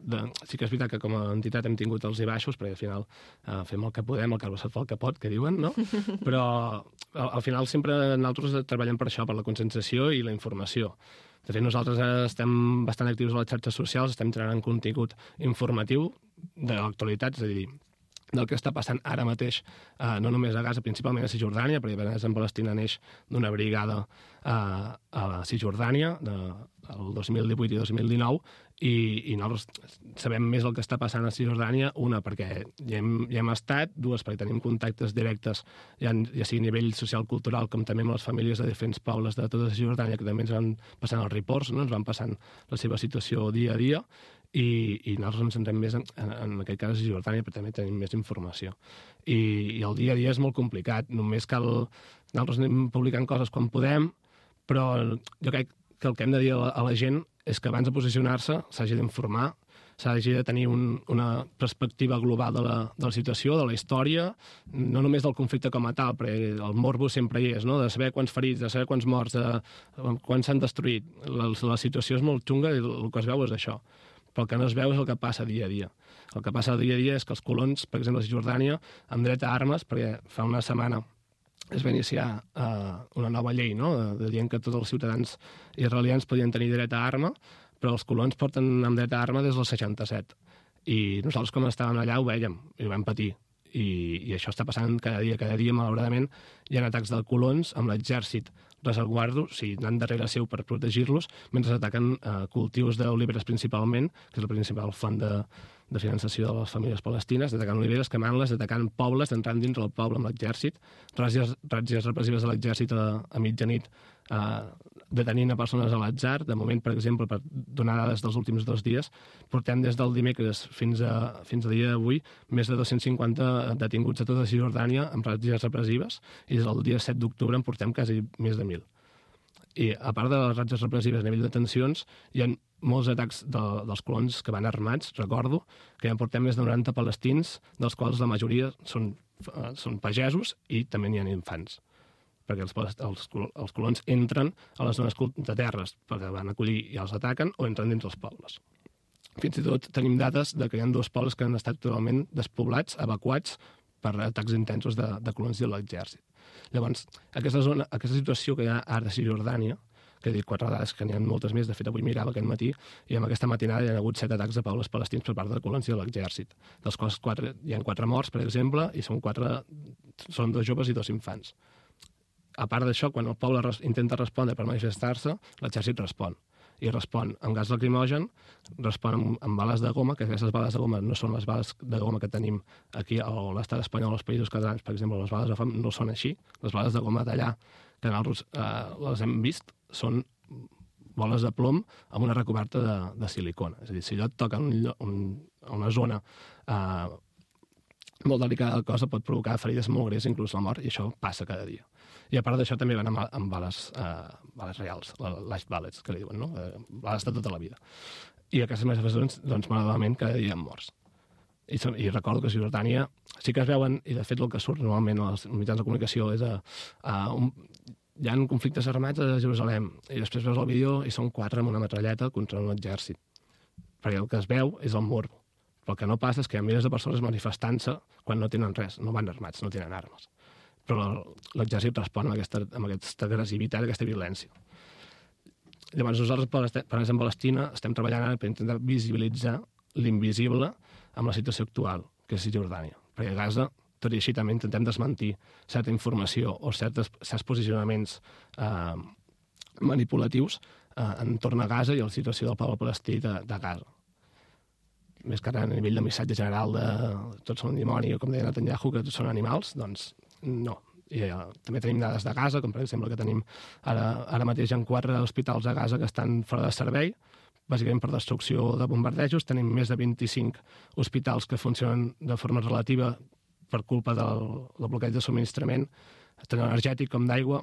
Sí que és veritat que com a entitat hem tingut els i baixos, perquè al final fem el que podem, el Carles fa el que pot, que diuen, no? Però al final sempre nosaltres treballem per això, per la conscienciació i la informació. De fet, nosaltres estem bastant actius a les xarxes socials, estem generant contingut informatiu de l'actualitat, és a dir, del que està passant ara mateix, no només a Gaza, principalment a Cisjordània, perquè Penedès en Palestina neix d'una brigada a la Cisjordània, el 2018 i 2019, i nosaltres sabem més el que està passant a Cisjordània, una, perquè hi hem estat, dues, perquè tenim contactes directes, ja sigui a nivell social-cultural, com també amb les famílies de diferents pobles de tota Cisjordània, que també ens van passant els reports, no? Ens van passant la seva situació dia a dia, i nosaltres ens centrem més en aquest cas a Cisjordània, però també tenim més informació. I el dia a dia és molt complicat, només cal... Nosaltres anem publicant coses quan podem, però jo crec que el que hem de dir a la gent és que abans de posicionar-se s'hagi d'informar, s'hagi de tenir una perspectiva global de la situació, de la història, no només del conflicte com a tal, perquè el morbo sempre hi és, no? De saber quants ferits, de saber quants morts, de quants s'han destruït. La situació és molt xunga i el que es veu és això. Però el que no es veu és el que passa dia a dia. El que passa dia a dia és que els colons, per exemple, a Cisjordània, amb dret a armes, perquè fa una setmana es va iniciar una nova llei, no?, dient que tots els ciutadans israelians podien tenir dret a arma, però els colons porten amb dret a arma des del 67. I nosaltres, com estàvem allà, ho vèiem i ho vam patir. I això està passant cada dia, malauradament, hi ha atacs de colons amb l'exèrcit resguardo, o sigui, anant darrere seu per protegir-los, mentre ataquen cultius d'oliveres principalment, que és la principal font de finançació de les famílies palestines, atacant oliveres, quemant-les, atacant pobles, entrant dins del poble amb l'exèrcit, ràtzies repressives de l'exèrcit a mitjanit, detenint a persones a l'atzar. De moment, per exemple, per donar dades dels últims 2 dies, portem des del dimecres fins al dia d'avui més de 250 detinguts a tota Cisjordània amb ràtzies repressives, i des del dia 7 d'octubre en portem quasi més de 1.000. I a part de les ràtzies repressives a nivell de detencions, hi ha molts atacs dels colons que van armats. Recordo que ja en portem més de 90 palestins, dels quals la majoria són pagesos i també n'hi ha infants, perquè els colons entren a les zones de terres perquè van acollir i els ataquen, o entren dins els pobles. Fins i tot tenim dades que hi ha 2 pobles que han estat totalment despoblats, evacuats per atacs intensos de colons de l'exèrcit. Llavors, aquesta situació que hi ha ara a Cisjordània, que he dit 4 dades, que n'hi ha moltes més, de fet avui mirava aquest matí, i amb aquesta matinada hi ha hagut 7 atacs a pobles palestins per part de la colònia de l'exèrcit, dels quals hi ha 4 morts, per exemple, i són 2 joves i 2 infants. A part d'això, quan el poble intenta respondre per manifestar-se, l'exèrcit respon. I respon amb gas lacrimogen, respon amb bales de goma, que aquestes bales de goma no són les bales de goma que tenim aquí a l'estat espanyol, als països catalans, per exemple, les bales de foam no són així. Les bales de goma d'allà, que nosaltres les hem vist, són boles de plom amb una recoberta de silicona. És a dir, si allò et toca una zona molt delicada del cos, pot provocar ferides molt greus, inclús la mort, i això passa cada dia. I a part d'això també van amb bales reals, live bullets, que li diuen, no? Bales de tota la vida. I aquestes manifestacions, doncs, malauradament, cada dia han morts. I recordo que a Cisjordània sí que es veuen, i de fet el que surt normalment als mitjans de comunicació és hi ha conflictes armats a Jerusalem, i després veus el vídeo i són 4 amb una metralleta contra un exèrcit. Perquè el que es veu és el morbo. Però el que no passa és que hi ha milers de persones manifestant-se quan no tenen res, no van armats, no tenen armes. Però l'exèrcit respon amb aquesta agressivitat, aquesta violència. Llavors nosaltres, per exemple, a Palestina, estem treballant ara per intentar visibilitzar l'invisible amb la situació actual, que és Cisjordània. Perquè a Gaza, tot i així, també intentem desmentir certa informació o certs posicionaments manipulatius entorn a Gaza i a la situació del poble palestí de Gaza. Més que ara a nivell de missatge general de tots són dimoni, o com deia Netanyahu, que tots són animals, doncs no. I també tenim dades de Gaza, com per exemple que tenim ara mateix en 4 hospitals a Gaza que estan fora de servei, bàsicament per destrucció de bombardejos. Tenim més de 25 hospitals que funcionen de forma relativa per culpa del bloqueig de subministrament, tant energètic com d'aigua,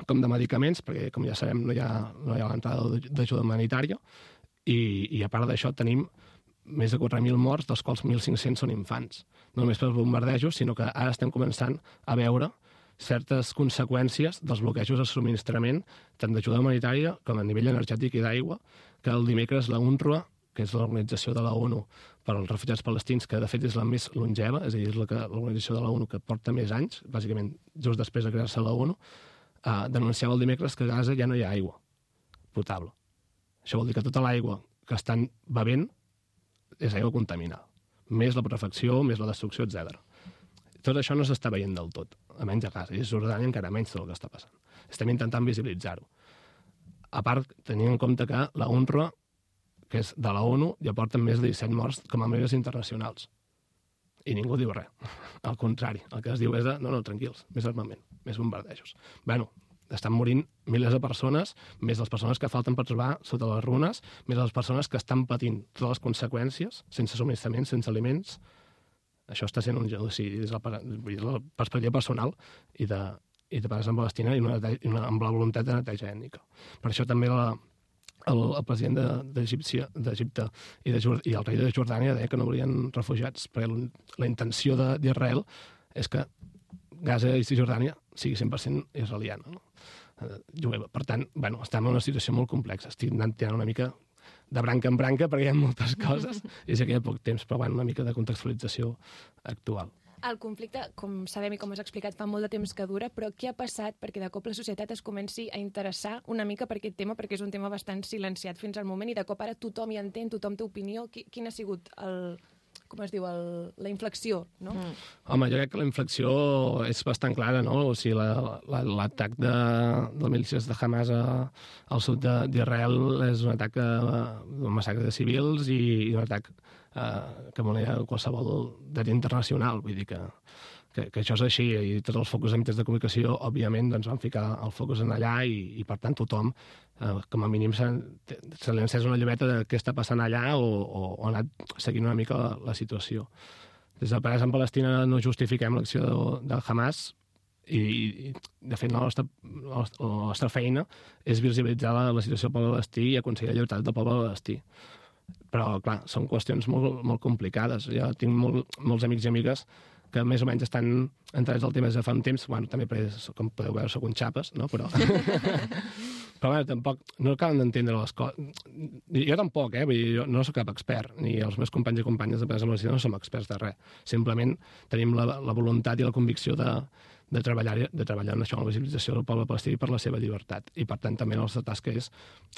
com de medicaments, perquè, com ja sabem, no hi ha l'entrada d'ajuda humanitària. I a part d'això tenim més de 4.000 morts, dels quals 1.500 són infants. No només pels bombardejos, sinó que ara estem començant a veure certes conseqüències dels bloquejos de subministrament, tant d'ajuda humanitària com a nivell energètic i d'aigua, que el dimecres la UNRWA, que és l'organització de la ONU per als refugiats palestins, que de fet és la més longeva, és a dir, és l'organització de la ONU que porta més anys, bàsicament just després de crear-se la ONU, denunciava el dimecres que a Gaza ja no hi ha aigua potable. Això vol dir que tota l'aigua que estan bevent és aigua contaminada, més la putrefacció, més la destrucció, etc. Tot això no s'està veient del tot, almenys a Gaza, i a Jordània encara menys tot el que està passant. Estem intentant visibilitzar-ho. A part, tenint en compte que la UNRWA, que és de la ONU, ja porten més de 17 morts com a membres internacionals. I ningú diu res. Al contrari, el que es diu és no, tranquils, més armament, més bombardejos. Bueno, estan morint milers de persones, més les persones que falten per trobar sota les runes, més les persones que estan patint totes les conseqüències, sense subministrament, sense aliments. Això està sent un genocidi des de la perspectiva personal i de pares en Palestina i amb la voluntat de neteja ètnica. Per això també el president d'Egipte i el rei de Jordània deia que no volien refugiats, perquè la intenció d'Israel és que Gaza i Cisjordània sigui 100% israeliana, no? Per tant, estem en una situació molt complexa. Estic anant tirant una mica de branca en branca perquè hi ha moltes coses i sé que hi ha poc temps, però una mica de contextualització actual. El conflicte, com sabem i com has explicat, fa molt de temps que dura, però què ha passat perquè de cop la societat es comenci a interessar una mica per aquest tema, perquè és un tema bastant silenciat fins al moment i de cop ara tothom hi entén, tothom té opinió. Quin ha sigut la inflexió, no? Home, jo crec que la inflexió és bastant clara, no? O sigui, l'atac de milícies de Hamas al sud d'Israel és un atac d'un massacre de civils i un atac que volia qualsevol dret internacional. Vull dir que això és així, i tots els focus de mitjans de comunicació, òbviament, doncs van ficar el focus en allà i per tant, tothom, com a mínim, se li ha encès una llumeta de què està passant allà o ha anat seguint una mica la situació. Des de Pares en Palestina no justifiquem l'acció de Hamas i de fet, la nostra feina és visibilitzar la situació del poble palestí i aconseguir la llibertat del poble palestí. Però, clar, són qüestions molt, molt complicades. Jo tinc molts amics i amigues que més o menys estan entrats al tema des de fa un temps. També, com podeu veure, soc un xapes, no? Però tampoc no acaben d'entendre les coses. Jo tampoc, vull dir, jo no soc cap expert, ni els meus companys i companyes de Pares en Palestina no som experts de res. Simplement tenim la voluntat i la convicció de de treballar en això, en la visibilització del poble palestí per la seva llibertat. I, per tant, també la nostra tasca és,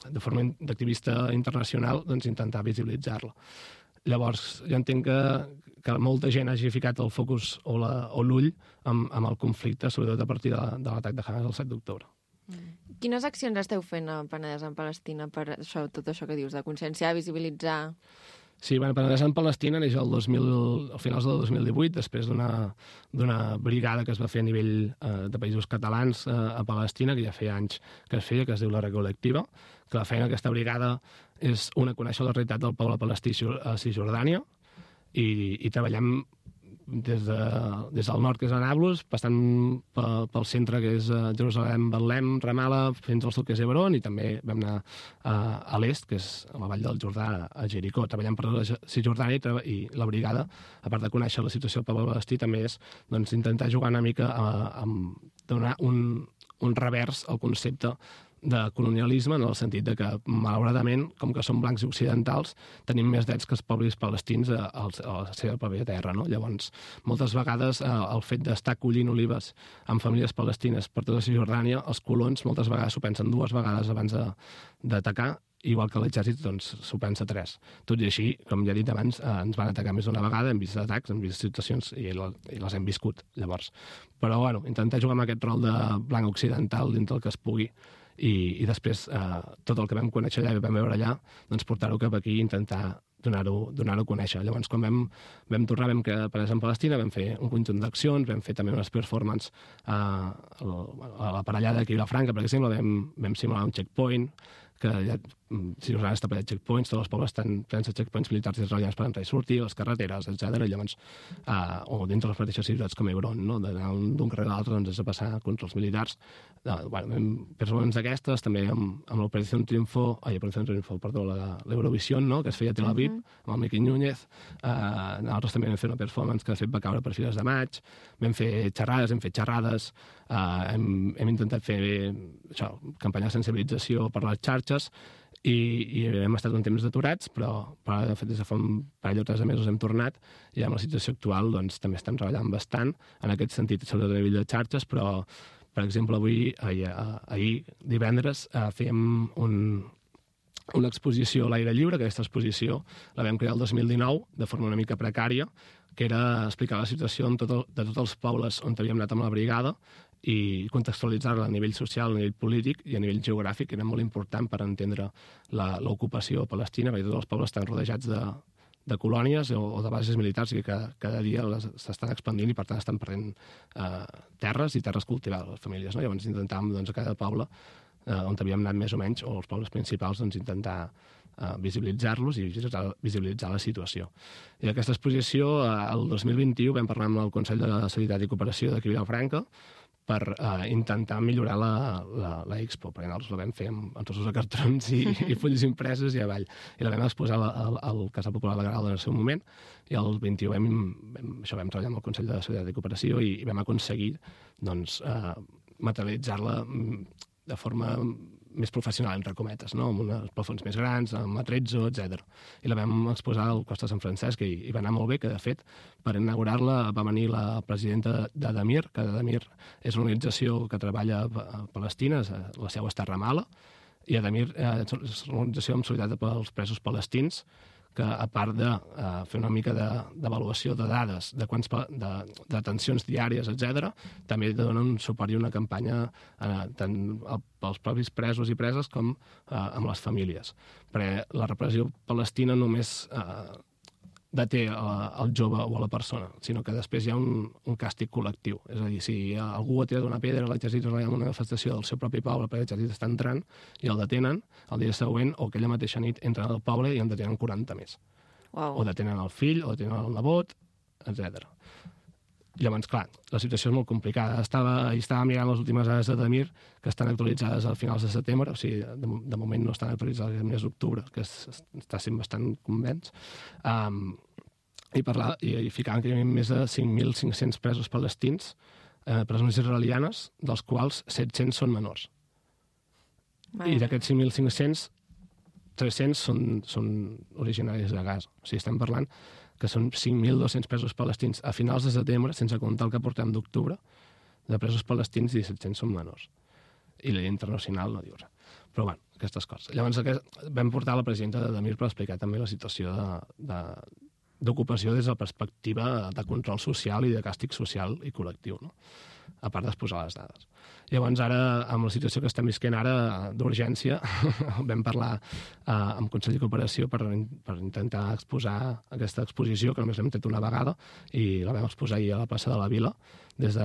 de forma d'activista internacional, doncs, intentar visibilitzar-la. Llavors, jo entenc que molta gent hagi ficat el focus o l'ull amb el conflicte, sobretot a partir de l'atac de Hamas el 7 d'octubre. Quines accions esteu fent a Penedès en Palestina per això, tot això que dius, de conscienciar, visibilitzar? Sí, bueno, Penedès en Palestina neix al finals del 2018, després d'una brigada que es va fer a nivell de països catalans a Palestina, que ja feia anys que es feia, que es diu la Recolectiva, que la feina d'aquesta brigada és conèixer la realitat del poble palestí a Cisjordània i treballem des del nord, que és a Nablus, passant pel centre, que és Jerusalem, Betlem, Ramallah, fins al sud, que és Hebron, i també vam anar a l'est, que és a la vall del Jordà, a Jericó. Treballem per la Cisjordània i la brigada, a part de conèixer la situació del poble palestí, també és intentar jugar una mica a donar un revers al concepte de colonialisme, en el sentit de que, malauradament, com que som blancs i occidentals, tenim més drets que els pobles palestins a la seva pròpia terra, no? Llavors, moltes vegades, el fet d'estar collint olives amb famílies palestines per tota Cisjordània, els colons moltes vegades s'ho pensen 2 vegades abans d'atacar, igual que l'exèrcit s'ho pensa 3. Tot i així, com ja he dit abans, ens van atacar més d'una vegada, hem vist atacs, hem vist situacions i les hem viscut, llavors. Però, bueno, intentar jugar amb aquest rol de blanc occidental dintre el que es pugui i després tot el que vam conèixer allà i vam veure allà, doncs portar-ho cap aquí i intentar donar-ho a conèixer. Llavors, quan vam tornar, vam quedar Penedès en Palestina, vam fer un conjunt d'accions, vam fer també unes performances a la parellada d'aquí a Vilafranca, per exemple, vam simular un checkpoint, que ja, si us està ple de checkpoints, tots els pobles estan plens de checkpoints militars israelians per entrar i sortir, les carreteres, etc. I llavors, o dintre les mateixes ciutats com Hebron, no? D'anar d'un carrer a l'altre, doncs, és a passar contra els militars. Persones d'aquestes, també amb l'Operació Triunfo, l'Eurovisió, no? Que es feia a Tel Aviv, amb el Miqui Núñez. Nosaltres també vam fer una performance que de fet va caure per Fires de Maig. Vam fer xerrades, hem intentat fer això, campanya de sensibilització per les xarxes i hem estat un temps deturats, però de fet des de fa un parell o 3 mesos hem tornat i amb la situació actual doncs, també estem treballant bastant en aquest sentit, sobretot a nivell de xarxes, però per exemple ahir divendres fèiem una exposició a l'aire lliure, que aquesta exposició la vam crear el 2019 de forma una mica precària, que era explicar la situació de tots els pobles on havíem anat amb la brigada i contextualitzar-la a nivell social, a nivell polític i a nivell geogràfic, que era molt important per entendre l'ocupació palestina, perquè tots els pobles estan rodejats de colònies o de bases militars que cada dia s'estan expandint i per tant estan perdent terres i terres cultivades, les famílies. No? Llavors intentàvem a cada poble on havíem anat més o menys, o els pobles principals, intentar visibilitzar-los i visibilitzar la situació. I aquesta exposició, el 2021, vam parlar amb el Consell de Solidaritat i Cooperació d'aquí a Vilafranca per intentar millorar la Expo, perquè nosaltres la vam fer amb trossos de cartrons i fulls impresos i avall. I la vam exposar al Casal Popular de Garalda en el seu moment, i el 21 vam treballar amb el Consell de Solidaritat i Cooperació i vam aconseguir materialitzar-la de forma més professional, entre cometes, no? Amb uns plafons més grans, amb atrezzo, etc. I la vam exposar al Costa de Sant Francesc i va anar molt bé, que de fet, per inaugurar-la va venir la presidenta d'Adamir, que Adamir és una organització que treballa a Palestina, la seu està a Ramallah, i Adamir és una organització amb solidaritat pels presos palestins, que a part de fer una mica d'avaluació de dades, de detencions diàries, etc., també donen un suport i una campanya tant pels propis presos i preses com amb les famílies. Perquè la repressió palestina només deté el jove o a la persona, sinó que després hi ha un càstig col·lectiu. És a dir, si algú ha tirat una pedra a l'exèrcit israelià en una manifestació del seu propi poble perquè l'exèrcit està entrant i el detenen, el dia següent o aquella mateixa nit entren al poble i en detenen 40 més. Wow. O detenen el fill, o detenen el nebot, etc. Llavors, clar, la situació és molt complicada. Estava mirant les últimes dades d'Adamir, que estan actualitzades a finals de setembre, o sigui, de moment no estan actualitzades al mes d'octubre, que està sent bastant convenç, i ficaven que hi havia més de 5.500 presos palestins, presons israelianes, dels quals 700 són menors. I d'aquests 5.500, 300 són originaris de Gaza. O sigui, estem parlant que són 5.200 presos palestins a finals de setembre, sense comptar el que portem d'octubre, de presos palestins i 700 són menors. I la llei internacional no diu res. Però, bueno, aquestes coses. Llavors, vam portar la presidenta de Mir per explicar també la situació d'ocupació des de la perspectiva de control social i de càstig social i col·lectiu, no? A part d'exposar les dades. Llavors, ara, amb la situació que estem visquent ara d'urgència, vam parlar amb el Consell de Cooperació per intentar exposar aquesta exposició, que només l'hem tret una vegada, i la vam exposar ahir a la plaça de la Vila, des de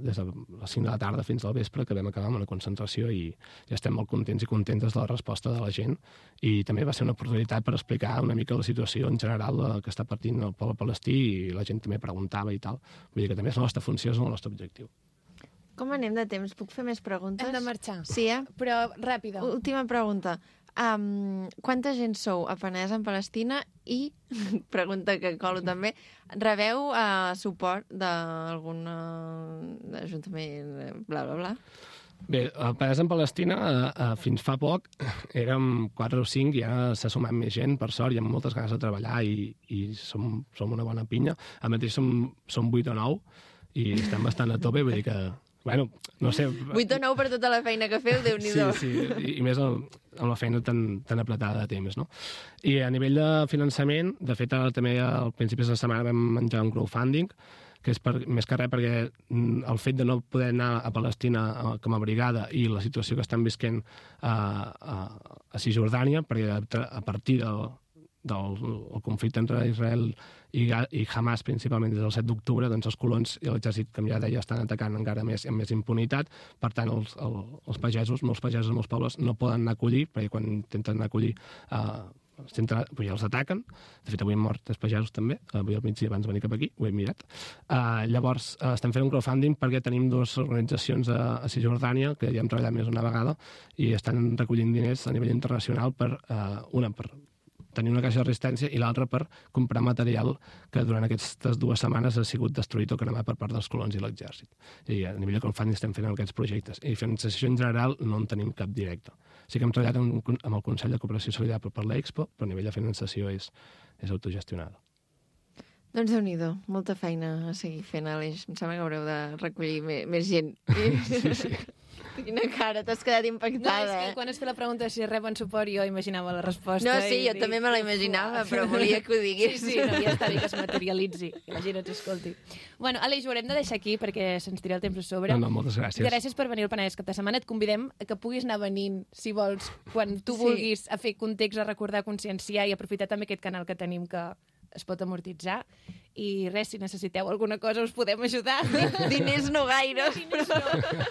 les 5 de la tarda fins al vespre, que vam acabar amb una concentració i ja estem molt contents i contentes de la resposta de la gent. I també va ser una oportunitat per explicar una mica la situació en general que està patint el poble palestí, i la gent també preguntava i tal. Vull dir que també és la nostra funció, és el nostre objectiu. Com anem de temps? Puc fer més preguntes? Hem de marxar. Sí, Però ràpida. Última pregunta. Quanta gent sou a Penedès en Palestina i, pregunta que colo també, rebeu suport d'algun ajuntament, bla, bla, bla? Bé, a Penedès en Palestina fins fa poc érem 4 o 5 i ara s'ha sumat més gent, per sort, i amb moltes ganes de treballar i som una bona pinya. A mateix som 8 o 9 i estem bastant a tope, vull dir que, bueno, no sé... 8 o 9 per tota la feina que feu, Déu-n'hi-do. Sí, i més amb la feina tan apretada de temps, no? I a nivell de finançament, de fet, també al principi de la setmana vam menjar un crowdfunding, que és més que res perquè el fet de no poder anar a Palestina com a brigada i la situació que estan visquent a Cisjordània, perquè a partir del conflicte entre Israel i Hamas, principalment des del 7 d'octubre, doncs els colons i l'exèrcit, com ja deia, estan atacant encara més amb més impunitat. Per tant, els pagesos, molts pagesos, molts pobles, no poden anar a collir, perquè quan intenten anar a collir els ataquen. De fet, avui hem mort 3 pagesos també, avui al migdia abans de venir cap aquí, ho he mirat. Llavors, estem fent un crowdfunding perquè tenim 2 organitzacions a Cisjordània, que ja hem treballat més una vegada, i estan recollint diners a nivell internacional una per tenir una caixa de resistència i l'altra per comprar material que durant aquestes 2 setmanes ha sigut destruït o cremat per part dels colons i l'exèrcit. I a nivell de crowdfunding estem fent aquests projectes. I finançació en general no en tenim cap directe. Sí que hem treballat amb el Consell de Cooperació Solidària per l'Expo, però a nivell de finançació és autogestionada. Doncs Déu-n'hi-do, molta feina a seguir fent, Aleix. Em sembla que haureu de recollir més gent. Sí. Quina cara, t'has quedat impactada, No, és que quan es feia la pregunta si reben suport jo imaginava la resposta. No, sí, jo també me la imaginava, però volia que ho digués. Sí, no, ja està bé que es materialitzi, que la gent ens escolti. Bueno, Aleix, ho haurem de deixar aquí perquè se'ns tira el temps a sobre. No, moltes gràcies. Gràcies per venir al Penedès cap de setmana. Et convidem a que puguis anar venint, si vols, quan tu vulguis, a fer context, a recordar, a conscienciar i aprofitar també aquest canal que tenim que es pot amortitzar. I res, si necessiteu alguna cosa us podem ajudar. Diners no gaire. Diners no.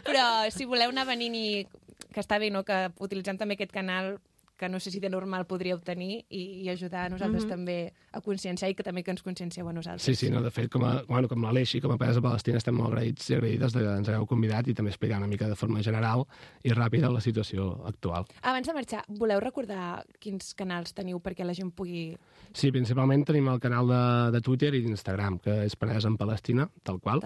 Però si voleu anar venint i que està bé, no?, que utilitzant també aquest canal que no sé si de normal podria obtenir i ajudar a nosaltres també a conscienciar i que també que ens consciencieu a nosaltres. Sí, no, de fet, com l'Aleix i com a Penedès de Palestina estem molt agraïts i agraïdes que ens hagueu convidat i també explicar una mica de forma general i ràpida la situació actual. Abans de marxar, voleu recordar quins canals teniu perquè la gent pugui... Sí, principalment tenim el canal de Twitter i d'Instagram, que és Penedès en Palestina, tal qual.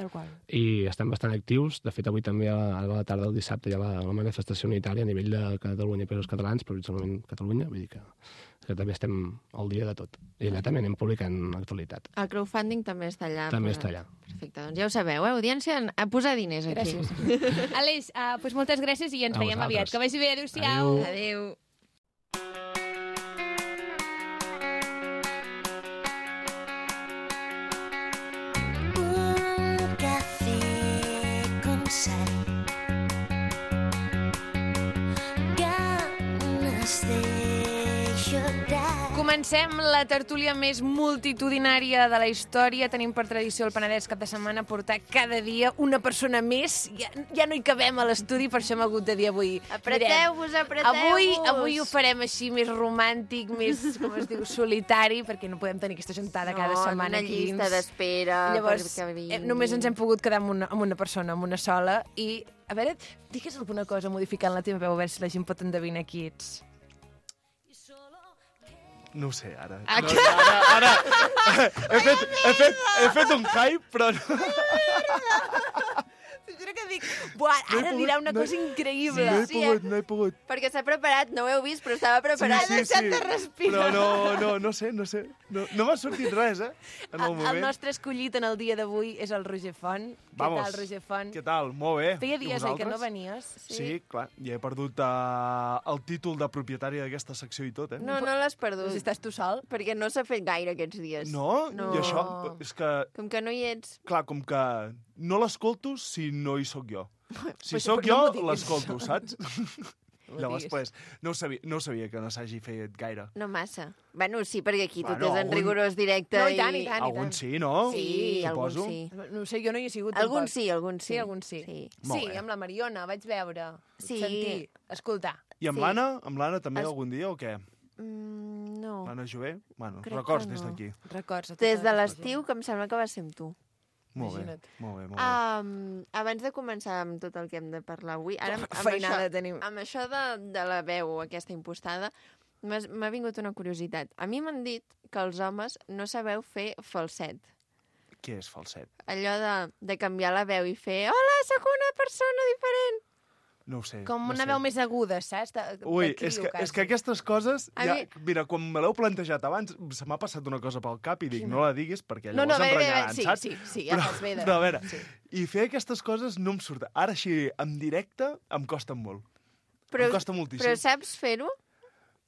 I estem bastant actius. De fet, avui també a la tarda del dissabte hi ha la manifestació unitària a nivell de Catalunya i països catalans, però principalment Catalunya, vull dir que també estem al dia de tot. I allà també anem publicant actualitat. El crowdfunding també està allà. També està allà. Perfecte, doncs ja ho sabeu, audiència, a posar diners aquí. Gràcies. Aleix, doncs moltes gràcies i ens veiem aviat. Que vagi bé, adéu-siau. Adéu. Comencem la tertúlia més multitudinària de la història. Tenim per tradició el Penedès cap de setmana portar cada dia una persona més. Ja no hi cabem a l'estudi, per això hem hagut de dir avui. Apreteu-vos. Avui ho farem així més romàntic, més, com es diu, solitari, perquè no podem tenir aquesta gentada cada setmana aquí. Una llista d'espera. Llavors, només ens hem pogut quedar amb una persona, amb una sola. I, a veure, digues alguna cosa modificant la teva veu, a veure si la gent pot endevinar qui ets. No ho sé, ara. Ara he fet un hype, però no... T'ho juro que dic, buah, ara dirà una cosa increïble. No he pogut. Perquè s'ha preparat, no ho heu vist, però estava preparat. Ha deixat de respirar. Però no sé. No m'ha sortit res, en el moment. El nostre escollit en el dia d'avui és el Roger Font. Vamos. Què tal, Roger Font? Què tal? Molt bé. Feia I dies, que no vosaltres? venies. Sí, clar. Ja he perdut el títol de propietari d'aquesta secció i tot, No l'has perdut. Si estàs tu sol. Perquè no s'ha fet gaire aquests dies. No? No. I això, és que, Com que no hi ets. clar, com que no l'escolto si no hi sóc jo. Si Pues, sóc però no jo, m'ho diguis, l'escolto, això. saps? ho Llavors, diguis. pues, no ho sabia que no s'hagi fet gaire. No massa. Bueno, sí, perquè aquí tot Bueno, és en rigorós directe. No, i tant, i tant. Algun sí, no? Sí, algun Suposo. sí. No sé, jo no hi he sigut Algun tampoc. sí, algun sí. Sí, algun sí. Sí. Molt Sí, bé. amb la Mariona, vaig veure, Sí. sentir, escoltar. I amb Sí. l'Anna? Amb l'Anna també algun dia o què? No. L'Anna Jové? Bueno, Crec records que des no. d'aquí. Records. a Des totes de les l'estiu, que em sembla que va ser amb tu. Molt bé, Imagina't. molt bé, molt bé. Abans de començar amb tot el que hem de parlar avui, ara Que feinada tenim. amb això de la veu aquesta impostada, m'ha vingut una curiositat. A mi m'han dit que els homes no sabeu fer falset. Què és falset? Allò de canviar la veu i fer hola, sóc una persona diferent. No ho sé. Com no una sé. veu més aguda, saps? Ui, és que aquestes coses... A Ja, mi- mira, quan me l'heu plantejat abans, se m'ha passat una cosa pel cap i dic, no la diguis perquè No, llavors bé, em renyaran, sí, saps? sí, ja fas bé de... Però a veure, Sí. i fer aquestes coses no em surt. Ara així, en directe, em costa molt. Però, Em costa moltíssim. però saps fer-ho?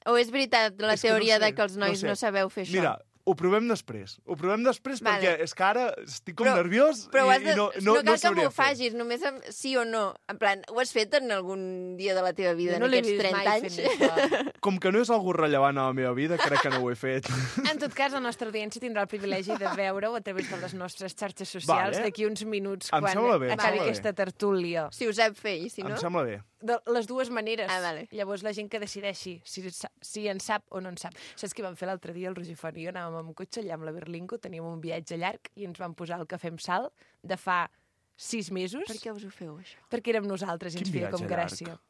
O és veritat la És que no teoria sé, de que els nois sé. no sabeu fer això? Mira, ho provem després. Ho provem després Vale. perquè és que ara estic com Però- nerviós Però ho has de, i no cal que sabria m'ho fer. facis, només amb sí o no. En plan, ho has fet en algun dia de la teva vida, Jo no en l'he aquests vist 30 mai anys? fent això. Com que no és algú rellevant a la meva vida, crec que no ho he fet. En tot cas, la nostra audiència tindrà el privilegi de veure-ho a través de les nostres xarxes socials Vale. d'aquí uns minuts Em quan sembla bé, em acabi sembla bé. aquesta tertúlia. Si ho sap fer, i si no... Em sembla bé. De les dues maneres. Ah, vale. Llavors la gent que decideixi si en sap o no en sap. Saps què vam fer l'altre dia el Roger Font i jo? Anàvem amb cotxe allà amb la Berlingo, teníem un viatge llarg i ens vam posar el Cafè amb Sal de fa 6 mesos. Per què us ho feu, això? Perquè érem nosaltres i ens Quin feia com viatge gràcia. llarg?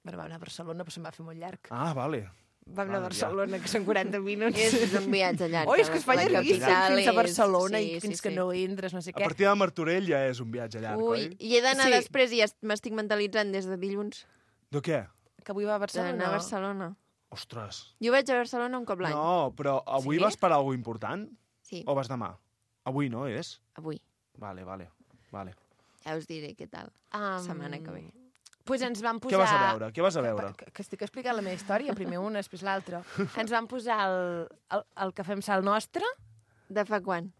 Bueno, vam anar a Barcelona, però se'm va fer molt llarg. Ah, vale. Vam anar a ja. Barcelona, que són 40 minuts. És un viatge llarg. Oi, és que es fa La llarguíssim capital fins a és- Barcelona sí, i fins sí, que sí. no entres, no sé A què. partir de Martorell ja és un viatge llarg, Ui, oi? i he d'anar Sí. després i ja m'estic mentalitzant des de dilluns De què? Que avui va a Barcelona. d'anar a Barcelona. Ostres. Jo vaig a Barcelona un cop l'any. No, però avui Sí? vas per alguna important? Sí, O vas demà? Avui no és? avui. Vale. Ja us diré què tal. Setmana que ve. Pues ens van posar... Què vas a veure? Què vas a veure? Que estic explicant la meva història, primer una, després l'altra. Ens van posar el Cafè amb Sal nostre, De fa quan?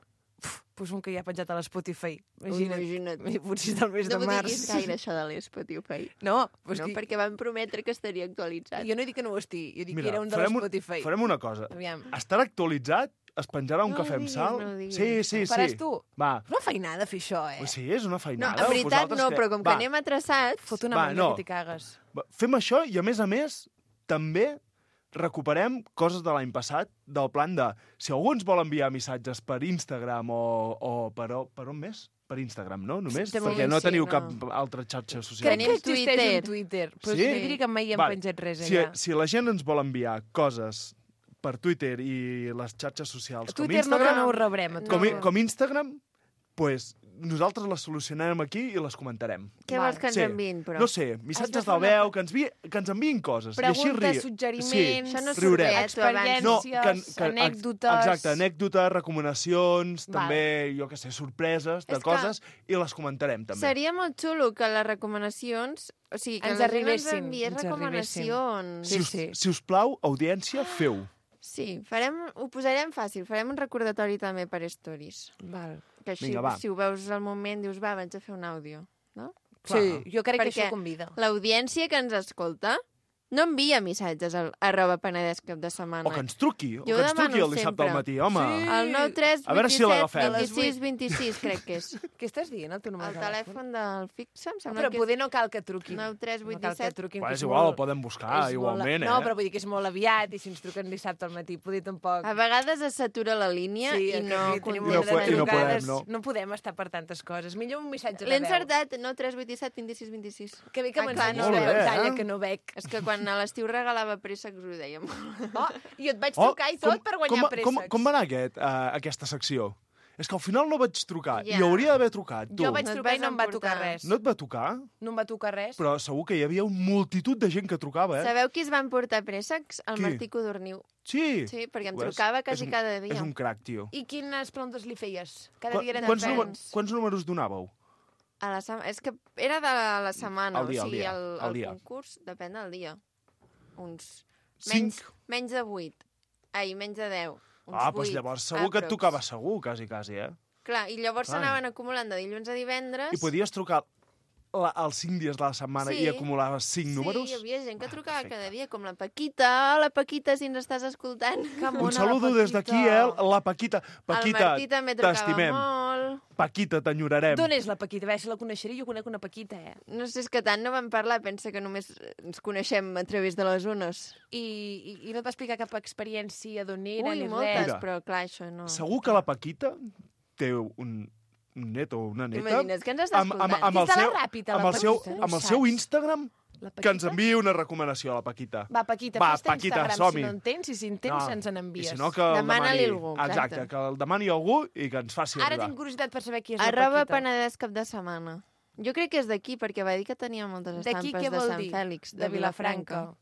pues un que ja ha penjat a l'Spotify. Imagina't. Potser és del mes No de m'ho març. diguis gaire, això de l'Spotify. No, pues No, que... perquè van prometre que estaria actualitzat. jo no he dit que no ho estigui, jo dic Mira, que era un de farem l'Spotify. farem una cosa. Aviam. Estarà actualitzat? Es penjarà un No ho cafè amb diguis, sal? no ho diguis. Sí. Faràs tu? Va. És una feinada fer això, Pues eh? sí, és una No, feinada. en veritat Vosaltres no, què? però com que Va, anem atrasats... Fot una Va, mandra no. que t'hi cagues. Fem això i, a més, també recuperem coses de l'any passat, del plan de... Si algú ens vol enviar missatges per Instagram o per on més? Per Instagram, no? Només? De Perquè moment no sí, teniu no. cap altra xarxa social. Crec Tenim que existeix Twitter. un Twitter, però Sí? jo diria que mai hem Vale. penjat res Si, allà. si la gent ens vol enviar coses per Twitter i les xarxes socials com Twitter no, que Instagram, no ho rebrem. com Instagram, pues, nosaltres les solucionarem aquí i les comentarem. Què vols que ens Sí. enviïn, però? No sé, Has de missatges fer de una veu, que ens enviïn coses. Preguntes, I així ri... suggeriments, Això no surt riurem. bé, tu abans. experiències, anècdotes... Exacte, anècdotes, recomanacions, Val. també, jo què sé, sorpreses de És que- coses, i les comentarem, també. Seria molt xulo que les recomanacions... O sigui, que Ens la gent arribessin, ens enviés ens recomanacions. Si us plau, audiència, feu. Sí, ho posarem fàcil. Farem un recordatori també per stories. Val. Que així, Vinga, va. si ho veus al moment, dius, va, vaig a fer un àudio. No? Sí, jo crec que Perquè això convida. L'audiència que ens escolta no envia missatges al @penedès cap de setmana. O que ens truqui, o Jo que ens demano truqui el dissabte sempre. al matí, home. Sí. El 9 3 A veure si 27 l'agafem. 26 26, crec que és. Què estàs dient, el teu número El de telèfon del fixe, em sembla Però que poder no cal que truquin. 9 3 No 8 cal que 17. truquin. Bueno, que és és igual, molt- el podem buscar, és igualment, molt... No, eh? però vull dir que és molt aviat i si ens truquen dissabte al matí, poder tampoc... A vegades es satura la línia i és que no aquí tenim no una po- de i no trucades. podem, no. No podem estar per tantes coses. Millor un missatge de L'he veu. encertat, no 3 8 17 26 26. Que bé que Ah, clar, m'ensenyes no la Molt bé, pantalla, eh? que no veig. És que quan a l'estiu regalava préssecs us ho dèiem. Oh, i et vaig trucar i tot per guanyar préssecs. Com va anar aquesta secció? És que al final no vaig trucar, Ja. i hauria d'haver trucat, tu. Jo vaig No et trucar i vas no em va emportar. tocar res. No et va tocar? No em va tocar res. Però segur que hi havia una multitud de gent que trucava, Sabeu qui es van portar préssecs? El Qui? Martí Codorniu. Sí. Sí, perquè em Ho és? trucava quasi És un- cada dia. És un crac, tio. I quines preguntes li feies? Cada dia eren Quants, diferents. quants números donàveu? A la És que era de la setmana, Al dia, o sigui, al dia, al el dia. concurs depèn del dia. Uns... Cinc? Menys de 8. Ai, menys de 10. Uns Ah, doncs 8, llavors segur que et aprox. tocava segur, quasi, eh? Clar, i llavors Clar. s'anaven acumulant de dilluns a divendres. I podies trucar els 5 dies de la setmana Sí. i acumulaves 5 números? Sí, hi havia gent que trucava perfecte. cada dia, com la Paquita. Hola, Paquita, si ens estàs escoltant. Un saludo des d'aquí, la Paquita. El Paquita, Martí també trucava t'estimem. molt. Paquita, t'enyorarem. D'on és la Paquita? A veure si la coneixeré. Jo conec una Paquita, No sé, és que tant no vam parlar, pensa que només ens coneixem a través de les ones. I no et va explicar cap experiència d'on era Ui, ni moltes, res. però clar, això no. Segur que la Paquita té un net o una neta T'imagines que ens està escoltant? amb el Des de la seu, Ràpita, la amb el seu, Paquita, no ho amb el seu saps? Instagram La que ens Paquita? enviï una recomanació a la Paquita. Va, Paquita, Va, fes-te Paquita, Instagram, som-hi. si no en tens, i si en tens, ens n'envies. I si no, que el Demana-li demani... algú, Exacte, exacte. que el demani algú i que ens faci Ara arribar. tinc curiositat per saber qui és Arroba la Paquita. Penedès cap de setmana. Jo crec que és d'aquí, perquè va dir que tenia moltes D'aquí estampes què de vol Sant dir? Fèlix, De Vilafranca.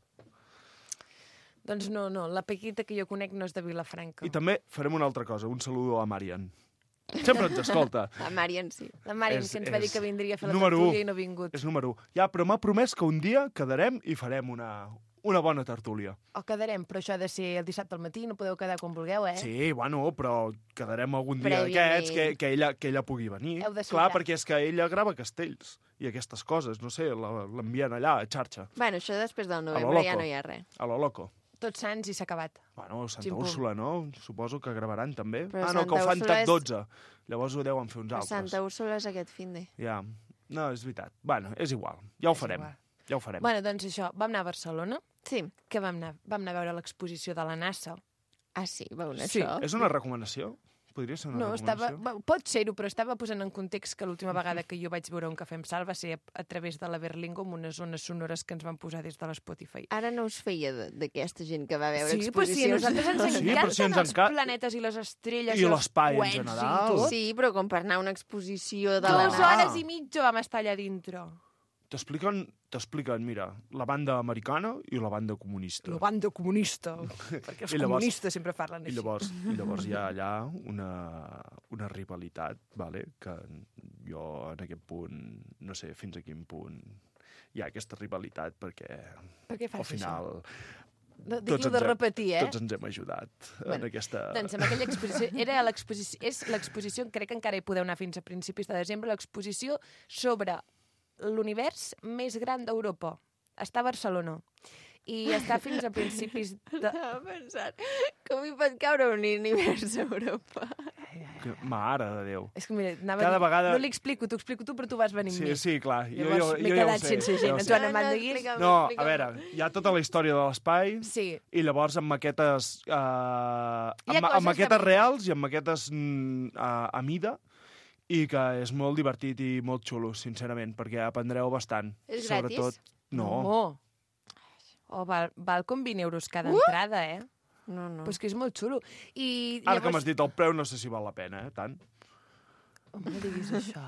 Doncs no, la Paquita que jo conec no és de Vilafranca. I també farem una altra cosa, un saludo a Marian. Sempre ens escolta. La Marian sí. La Mari, És- que ens va dir és que vindria a fer la número tertúlia u. i no ha vingut. És número 1. Ja, però m'ha promès que un dia quedarem i farem una bona tertúlia. O quedarem, però això ha de ser el dissabte al matí, no podeu quedar quan vulgueu, eh? Sí, bueno, però quedarem algun dia Prèviament. d'aquests que ella pugui venir. Heu de Clar, soltar. perquè és que ella grava castells i aquestes coses, no sé, l'envien allà a xarxa, Bueno, això després del lo novembre ja loco. no hi ha res. a lo loco. Tots Sants i s'ha acabat. Bueno, Santa Ximpum. Úrsula, no? Suposo que gravaran també. Però No, que ho Santa fan Úrsula tot és- 12. Llavors ho deuen fer uns A altres. Santa Úrsula és aquest finde. Ja. No, és veritat. Bueno, és igual. Ja ho És farem. igual. Ja ho farem. Bueno, doncs això, vam anar a Barcelona. Sí. Que vam anar a veure l'exposició de la NASA. Ah, sí, veuen Sí. això? És una recomanació? Podria ser una No, recomanació? pot ser-ho, però estava posant en context que l'última vegada que jo vaig veure un cafè amb sal va ser a través de la Berlingo amb unes zones sonores que ens van posar des de l'Spotify. Ara no us feia d'aquesta gent que va veure Sí, però sí, a exposicions. nosaltres ens Sí, però encanten si ens els enca- planetes i les estrelles I els l'espai en coets general. I tot. Sí, però com per anar a una exposició de la 2 NASA. hores i mitja vam estar allà dintre. T'expliquen, mira, la banda americana i la banda comunista. La banda comunista, perquè els I llavors- comunistes sempre parlen I així. llavors hi ha allà una rivalitat, vale? Que jo en aquest punt, no sé fins a quin punt hi ha aquesta rivalitat, perquè Per què fas al final Digue-ho de repetir, eh? tots ens hem ajudat en aquesta... Doncs amb aquella exposició, és l'exposició, crec que encara hi podeu anar fins a principis de desembre, l'exposició sobre l'univers més gran d'Europa. Està a Barcelona. I està fins a principis de... Estava pensant, com hi pot caure un univers a Europa? Mare de Déu. És que mira, Cada vegada- no li explico, t'ho explico tu, però tu vas venir amb mi. Sí, clar. Llavors m'he quedat sense gent. En Joan Amant de Guix... No, a veure, hi ha tota la història de l'espai Sí. i llavors amb maquetes, Hi ha coses amb maquetes que- reals i amb maquetes a mida, i que és molt divertit i molt xulo, sincerament, perquè aprendreu bastant. És Sobretot... gratis? No. Oh, val com 20 euros cada entrada, eh? No, no. Però és que és molt xulo. I Ara que m'has dit el preu, no sé si val la pena, tant. Home, no diguis això.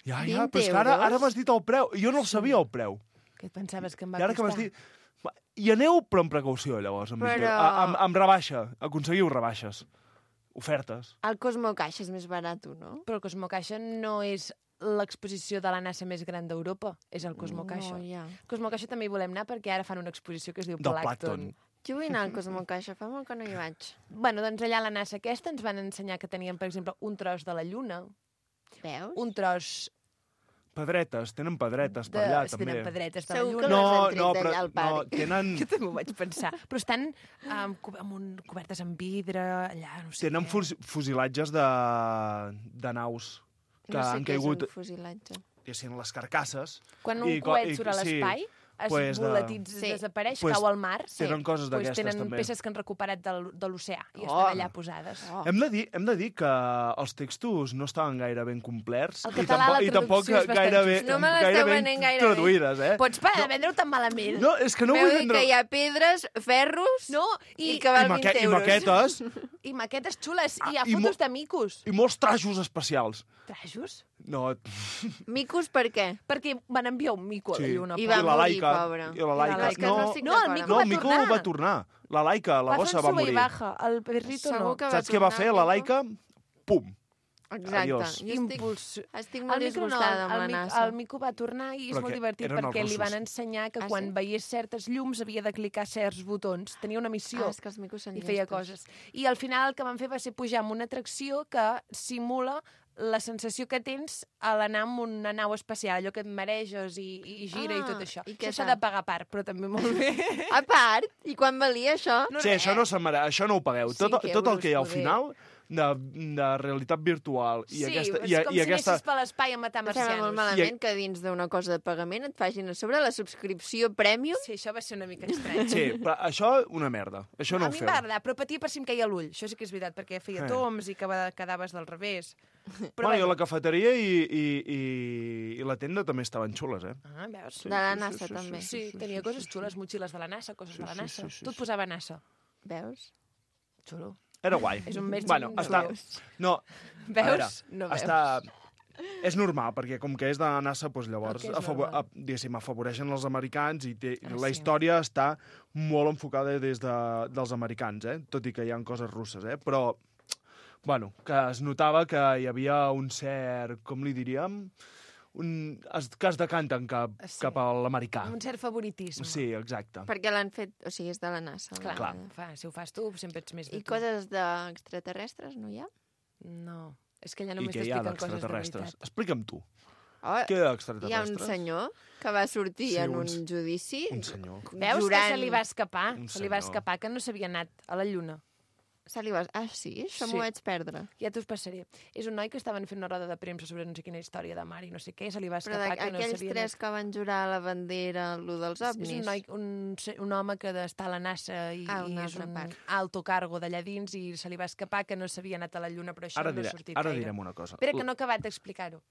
Ja, 20 però és que ara euros? m'has dit el preu. Jo no el sabia, el preu. Què et pensaves que em va I ara que m'has costar? dit... Va, I aneu, però amb precaució, llavors. Però- Amb rebaixa. Aconseguiu rebaixes. Ofertes. El Cosmo Caixa és més barat, no? Però el Cosmo Caixa no és l'exposició de la NASA més gran d'Europa, és el Cosmo Caixa. No, ja. Cosmo Caixa també hi volem anar perquè ara fan una exposició que es diu Del Plàncton. plàncton. Jo vull anar al Cosmo Caixa, fa molt que no hi vaig. Bueno, doncs allà a la NASA aquesta ens van ensenyar que tenien, per exemple, un tros de la Lluna, Veus? un tros Pedretes, tenen pedretes per de... allà, es també. tenen pedretes de la Segur que Lluna. les han tret d'allà però al parc. tenen, Jo també ho vaig pensar. Però estan cobertes amb vidre, allà, no sé tenen què. fusilatges de naus que No sé han què caigut, és un fusilatge. diguéssim, les carcasses. Quan un i co- coet i- surt a sí. l'espai, Pues volatits, desapareix, cau al mar. Tenen coses d'aquestes, tenen també. peces que han recuperat de l'oceà i estan allà posades. Hem de dir que els textos no estaven gaire ben complerts El català, la traducció és bastant justa. No me l'esteu ben venent gaire traduïdes, Pots parar de vendre-ho tan malament? No, és que no Veu vull dir vendre... que hi ha pedres, ferros i que val 20 I euros. maquetes I maquetes xules. I hi ha i fotos de micos. i molts trajos especials. Trajos? No, Micos per què? Perquè van enviar un mico a la lluna. I va la morir, Laika. pobre. I la Laika. És que no estic No, el d'acord mico amb va el Mico tornar. va tornar. La Laika, la Va gossa, fer va un sube i morir. baja. El perrito Segur no. que va Saps què va tornar, fer el la Mico? Laika? Pum. Exacte. Adiós. Estic molt El Mico no, disgustada amb la NASA. el Mico va tornar i és Però molt que divertit eren els perquè li van russos. ensenyar que Ah, quan sí? veiés certes llums havia de clicar certs botons. Tenia una missió És que els micos són i feia llestos. coses. I al final el que van fer va ser pujar amb una atracció que simula la sensació que tens a l'anar amb una nau espacial, allò que et mareges i gira i tot això. I què Això s'ha tal? de pagar a part, però també molt bé. A part, i quan valia això? Sí, això no això no ho pagueu. Tot el euros, que hi ha al poder. final de realitat virtual i Sí, aquesta... és com si aquesta... anessis per l'espai a matar Em sembla marcianos. molt malament que dins d'una cosa de pagament et facin a sobre la subscripció Premium. Sí, això va ser una mica estrany. Sí, però això, una merda. Això no a ho mi feu. em va agradar, però patia per si em caia l'ull. Això sí que és veritat, perquè feia toms i quedaves del revés. Però Bueno, la cafeteria i la tenda també estaven xules, eh? Ah, veus? De la NASA, també. Sí, tenia coses xules, motxilles de la NASA, coses de la NASA. Tot posava NASA. Veus? Xulo. Era guai. És un més... Bueno, està... No, Veus? a veure, No veus. està... És normal, perquè com que és de la NASA, doncs llavors El que és normal. diguéssim, afavoreixen els americans i la sí. història està molt enfocada des dels americans, tot i que hi ha coses russes, però bueno, que es notava que hi havia un cert, com li diríem, que es decanten cap a l'americà. Un cert favoritisme. Sí, exacte. Perquè l'han fet... O sigui, és de la NASA. Clar. Si ho fas tu, sempre ets més de I tu. coses d'extraterrestres, no hi ha? No. És que allà I només què hi ha t'expliquen coses de d'extraterrestres? veritat. Explica'm tu. Oh, Què hi ha hi ha d'extraterrestres? un senyor que va sortir Sí, en un judici... Un senyor. Veus jurant... que se li va escapar? Un Se li va senyor. escapar que no s'havia anat a la Lluna. Se li va... Ah, sí? Això Sí. m'ho vaig perdre. Ja t'ho passaré. És un noi que estaven fent una roda de premsa sobre no sé quina història de mar i no sé què, se li va Però escapar que no aquells s'havia tres que van jurar a la bandera, lo dels ovnis... És un noi, un home que està a la NASA i, una és altra un part. alto cargo d'allà dins i se li va escapar que no s'havia anat a la Lluna, però això Ara, no ha sortit ara gaire. direm una cosa. Espera, que no he acabat d'explicar-ho.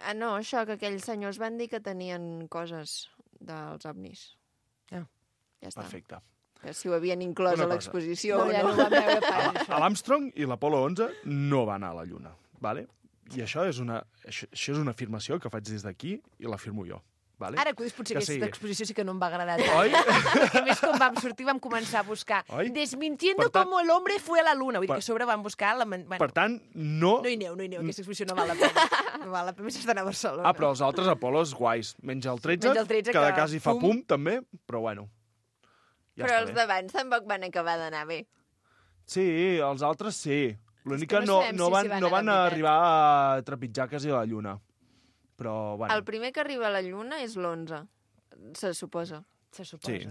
Ah, no, això, que aquells senyors van dir que tenien coses dels ovnis. Ah. Ja està. Perfecte. Que si ho havien inclòs Una a cosa. l'exposició No, o ja no. no ho vam veure pas, això. L'Armstrong i l'Apolo 11 no van anar a la Lluna, ¿vale? I això és una afirmació que faig des d'aquí i l'afirmo jo. ¿vale? Ara que potser Que aquesta sí. exposició sí que no em va agradar tant. Oi? A més, quan vam sortir vam començar a buscar Oi? desmintiendo Per tant- como el hombre fue a la luna. Vull dir Per- que a sobre vam buscar la... Bueno, Per tant, no... no hi aneu, aquesta exposició no val la pena. No val la pena, més estan a Barcelona. Ah, però els altres Apolos guais. Menys el 13, Menys el 13, que de que quasi fa pum. pum, també, però bueno. Ja Però està els bé. d'abans tampoc van acabar d'anar bé. Sí, els altres sí. L'únic És que que no no, sabem no si van, s'hi van no anar van de veritat. arribar a trepitjar quasi a la Lluna. Però, bueno, El primer que arriba a la Lluna és l'11, se suposa. Se suposa. Sí.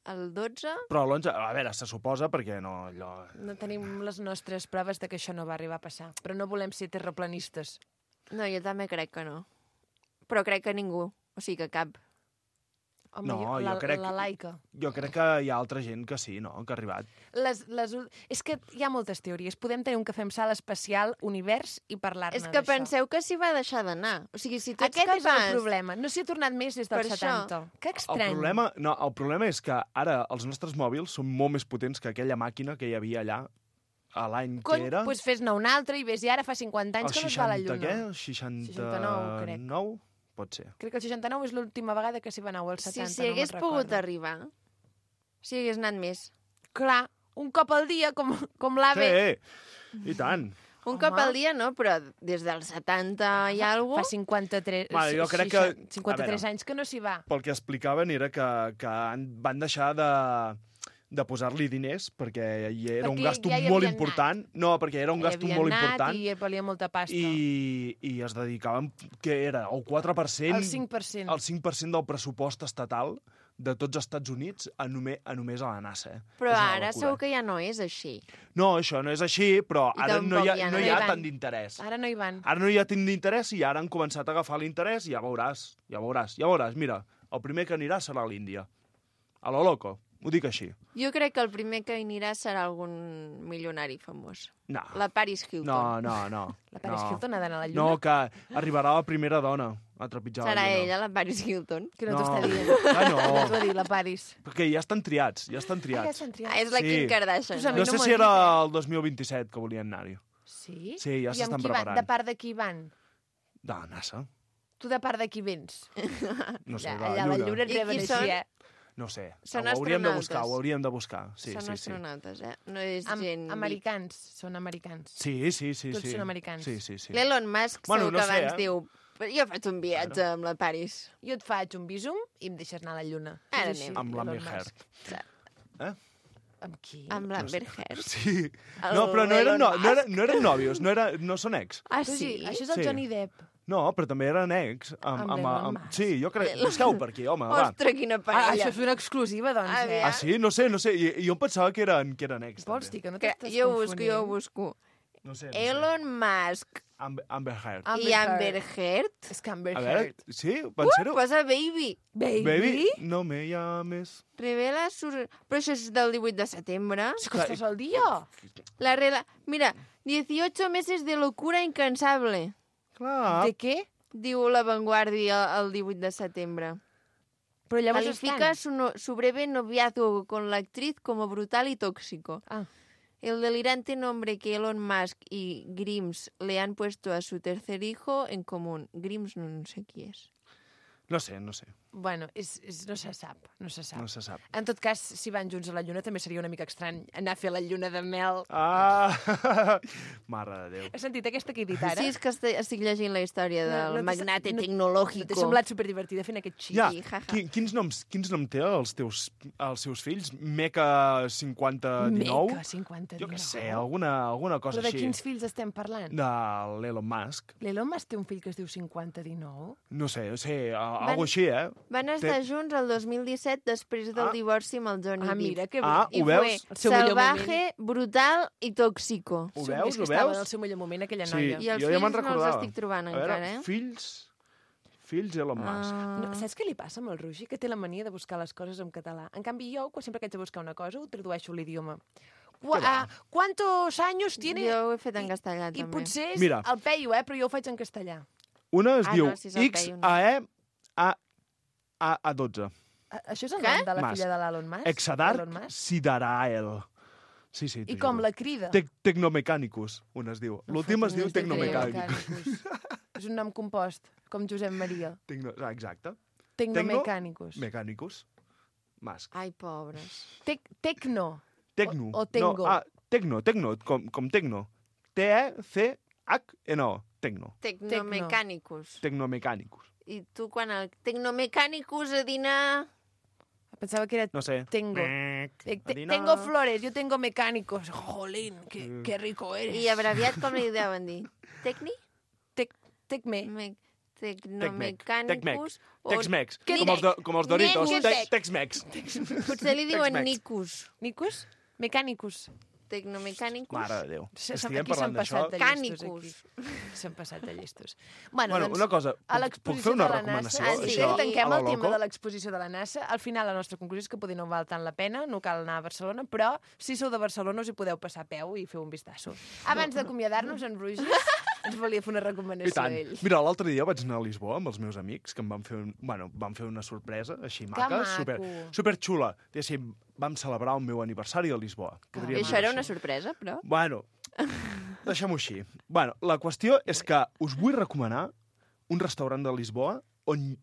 El 12... però l'11, a veure, se suposa perquè no... Allò... No tenim les nostres proves de que això no va arribar a passar. Però no volem ser terraplanistes. No, jo també crec que no. Però crec que ningú. O sigui, que cap. Home, No, jo crec- La laica. Jo crec que hi ha altra gent que sí, no?, que ha arribat. És que hi ha moltes teories. Podem tenir un cafè amb sal especial, univers, i parlar-ne És que d'això. penseu que s'hi va deixar d'anar. O sigui, si tu ets Aquest és capaç... el problema. No s'hi ha tornat més des dels Per això. 70. Que estrany. El problema és que ara els nostres mòbils són molt més potents que aquella màquina que hi havia allà a l'any Cony, que era... doncs fes-ne un altre i ves, i ara fa 50 anys que no es va a la Lluna. què? El 69, 69, crec. Pot ser. Crec que el 69 és l'última vegada que s'hi va anar, o el 70, Si hagués no me'n pogut recordo. arribar, si hagués anat més. Clar, un cop al dia, com l'AVE. Sí, i tant. Un cop al dia no, però des dels 70 i alguna Fa 53, Vale, jo crec que- 53 a veure. anys que no s'hi va. Pel que explicaven era que van deixar de posar-li diners perquè era un Perquè gasto ja hi molt havien important. No, perquè era un gasto molt important I valia molta pasta. i es dedicaven, que era el 4%, El 5%. el 5% del pressupost estatal de tots els Estats Units a només a la NASA. Però És una ara locura. segur que ja no és així. No, això no és així, però I ara no hi ha, tampoc no hi hi ha van. tant d'interès. Ara no hi van. Ara no hi ha tant d'interès i ara han començat a agafar l'interès i ja veuràs. Mira, el primer que anirà serà a l'Índia. A lo loco, ho dic així. Jo crec que el primer que hi anirà serà algun milionari famós. No. La Paris Hilton. No. La Paris Hilton ha d'anar a la Lluna? No, que arribarà la primera dona a trepitjar Serà la Lluna. ella, la Paris Hilton. Que no, No. t'ho està dient. Ah, no. No t'ho ha dit, la Paris. Perquè ja estan triats, Ja estan triats. És la Sí. Kim Kardashian. Pues a mi No no sé m'ho si ha era dit, el 2027 que volien anar-hi. Sí? Sí, ja I amb s'estan qui van? preparant. De part de qui van? De la NASA. Tu de part de qui vens? No sé, de Allà la a la Lluna. Lluna et I qui reben són? així, eh? No sé, Són ho hauríem de buscar, astronautes. ho hauríem de buscar. Sí, Són sí, sí. astronautes, No és gent... Americans, són americans. Sí, sí, sí. Tots sí. són americans. Sí, sí, sí. L'Elon Musk Bueno, segur no que sé, abans diu jo faig un viatge amb la Paris. Jo et faig un visum i em deixes anar a la Lluna. Ara És així, anem. Amb l'Amber Elon Heard. Musk. Amb qui? Amb l'Amber Heard. Sí. El No, però no eren, Elon no eren nòvios, no són ex. Ah, Però sí? Això és el Sí. Johnny Depp. No, però també eren ex. Amb l'Elon Musk. Sí, jo crec... Busqueu per aquí, home, va. Ostres, quina Ah, parella. això és una exclusiva, doncs, eh? Ah, sí? No sé. Jo em pensava que eren ex, Vols també. dir que no Que t'estàs jo confonent? ho busco. No sé. Elon Musk Amber Heard. i Amber Heard. És que Amber A veure, Heard. sí? Van ser-ho? Posa Baby. Baby, no me llames. Revela su... Però això és del 18 de setembre. És que estàs al dia. Mira, 18 meses de locura incansable. Clar. De què? Diu La Vanguardia el 18 de setembre. Però llavors Califica estan. su breve noviazgo con la actriz como brutal y tóxico. Ah. El delirante nombre que Elon Musk y Grims le han puesto a su tercer hijo en común. Grims no sé qui és. No sé. Bueno, no se sap, no se sap. No se sap. En tot cas, si van junts a la Lluna, també seria una mica estrany anar a fer la lluna de mel. Ah! Mare de Déu. Has sentit aquesta que he dit ara? Sí, és que estic llegint la història del magnate No tecnológico. t'ha semblat superdivertida fent aquest xic? Ja, jaja. quins noms té els seus fills? Meca 5019? Meca 5019. Jo què sé, alguna cosa Però de així. quins fills estem parlant? De l'Elon Musk. L'Elon Musk té un fill que es diu 5019? No sé, alguna així, eh? Van estar junts el 2017 després del divorci amb el Johnny Depp. Mira, que ho I veus? El seu millor salvaje, brutal i tóxico. Ho És veus, que ho estava veus? en el seu millor moment, aquella Sí, noia. I els jo ja me'n fills no els recordava. estic trobant A veure, encara, eh? Fills Elon Musk. No, saps què li passa amb el Roger? Que té la mania de buscar les coses en català. En canvi, jo, sempre que haig de buscar una cosa, ho tradueixo a l'idioma. ¿Cuántos años tiene? Jo ho he fet en castellà, I també. potser és Mira. el peio, però jo ho faig en castellà. Una es diu no, si és el Peyu, no. XAE-A12. Això és el Què? nom de la Musk. filla de l'Elon Musk? Exadar Elon Musk? Sidarael. Sí, sí. I com la crida? Tecnomecanicus, un es diu. L'últim es diu Tecnomecanicus. És un nom compost, com Josep Maria. Exacte. Tecnomecanicus. Mecanicus. Musk. Ai, pobres. Tecno. Tecno. O Tengo. No, Tecno, com Tecno. T-E-C-H-N-O. Tecno. Tecnomecanicus. Tecnomecanicus. I tu, quan el Tecnomecanicus a dinar... Pensava que era No sé. Tengo. Tengo flores, yo tengo mecánicos. Jolín, qué rico eres. I abreviat com li deuen dir? Tecni? Tecme. Tecnomecanicus? o- Tex-Mex. Què Com els Doritos. Nicus. Tex-Mex. Potser li diuen Tex-Mex. Nicus. Nicus? Mecanicus. Tecnomecanicus. Mare de Déu. Aquí Estiguem s'han parlant d'això. passat de llestos, Canicus. aquí. S'han passat de llestos. Bueno, Bueno, doncs, una cosa, a puc l'exposició fer una de la recomanació? NASA... Sí, Sí, això, tanquem a el lo tema loco? de l'exposició de la NASA. Al final, la nostra conclusió és que potser no val tant la pena, no cal anar a Barcelona, però si sou de Barcelona us hi podeu passar a peu i fer un vistazo. Abans d'acomiadar-nos, en Roger ens volia fer una I recomanació tant. a ell. Mira, l'altre dia vaig anar a Lisboa amb els meus amics, que em van fer, van fer una sorpresa així maca, maco. super xula. Diguéssim, vam celebrar el meu aniversari a Lisboa. I Podríem això dir era així. una sorpresa, però. Bueno, deixem-ho així. Bueno, la qüestió és que us vull recomanar un restaurant de Lisboa on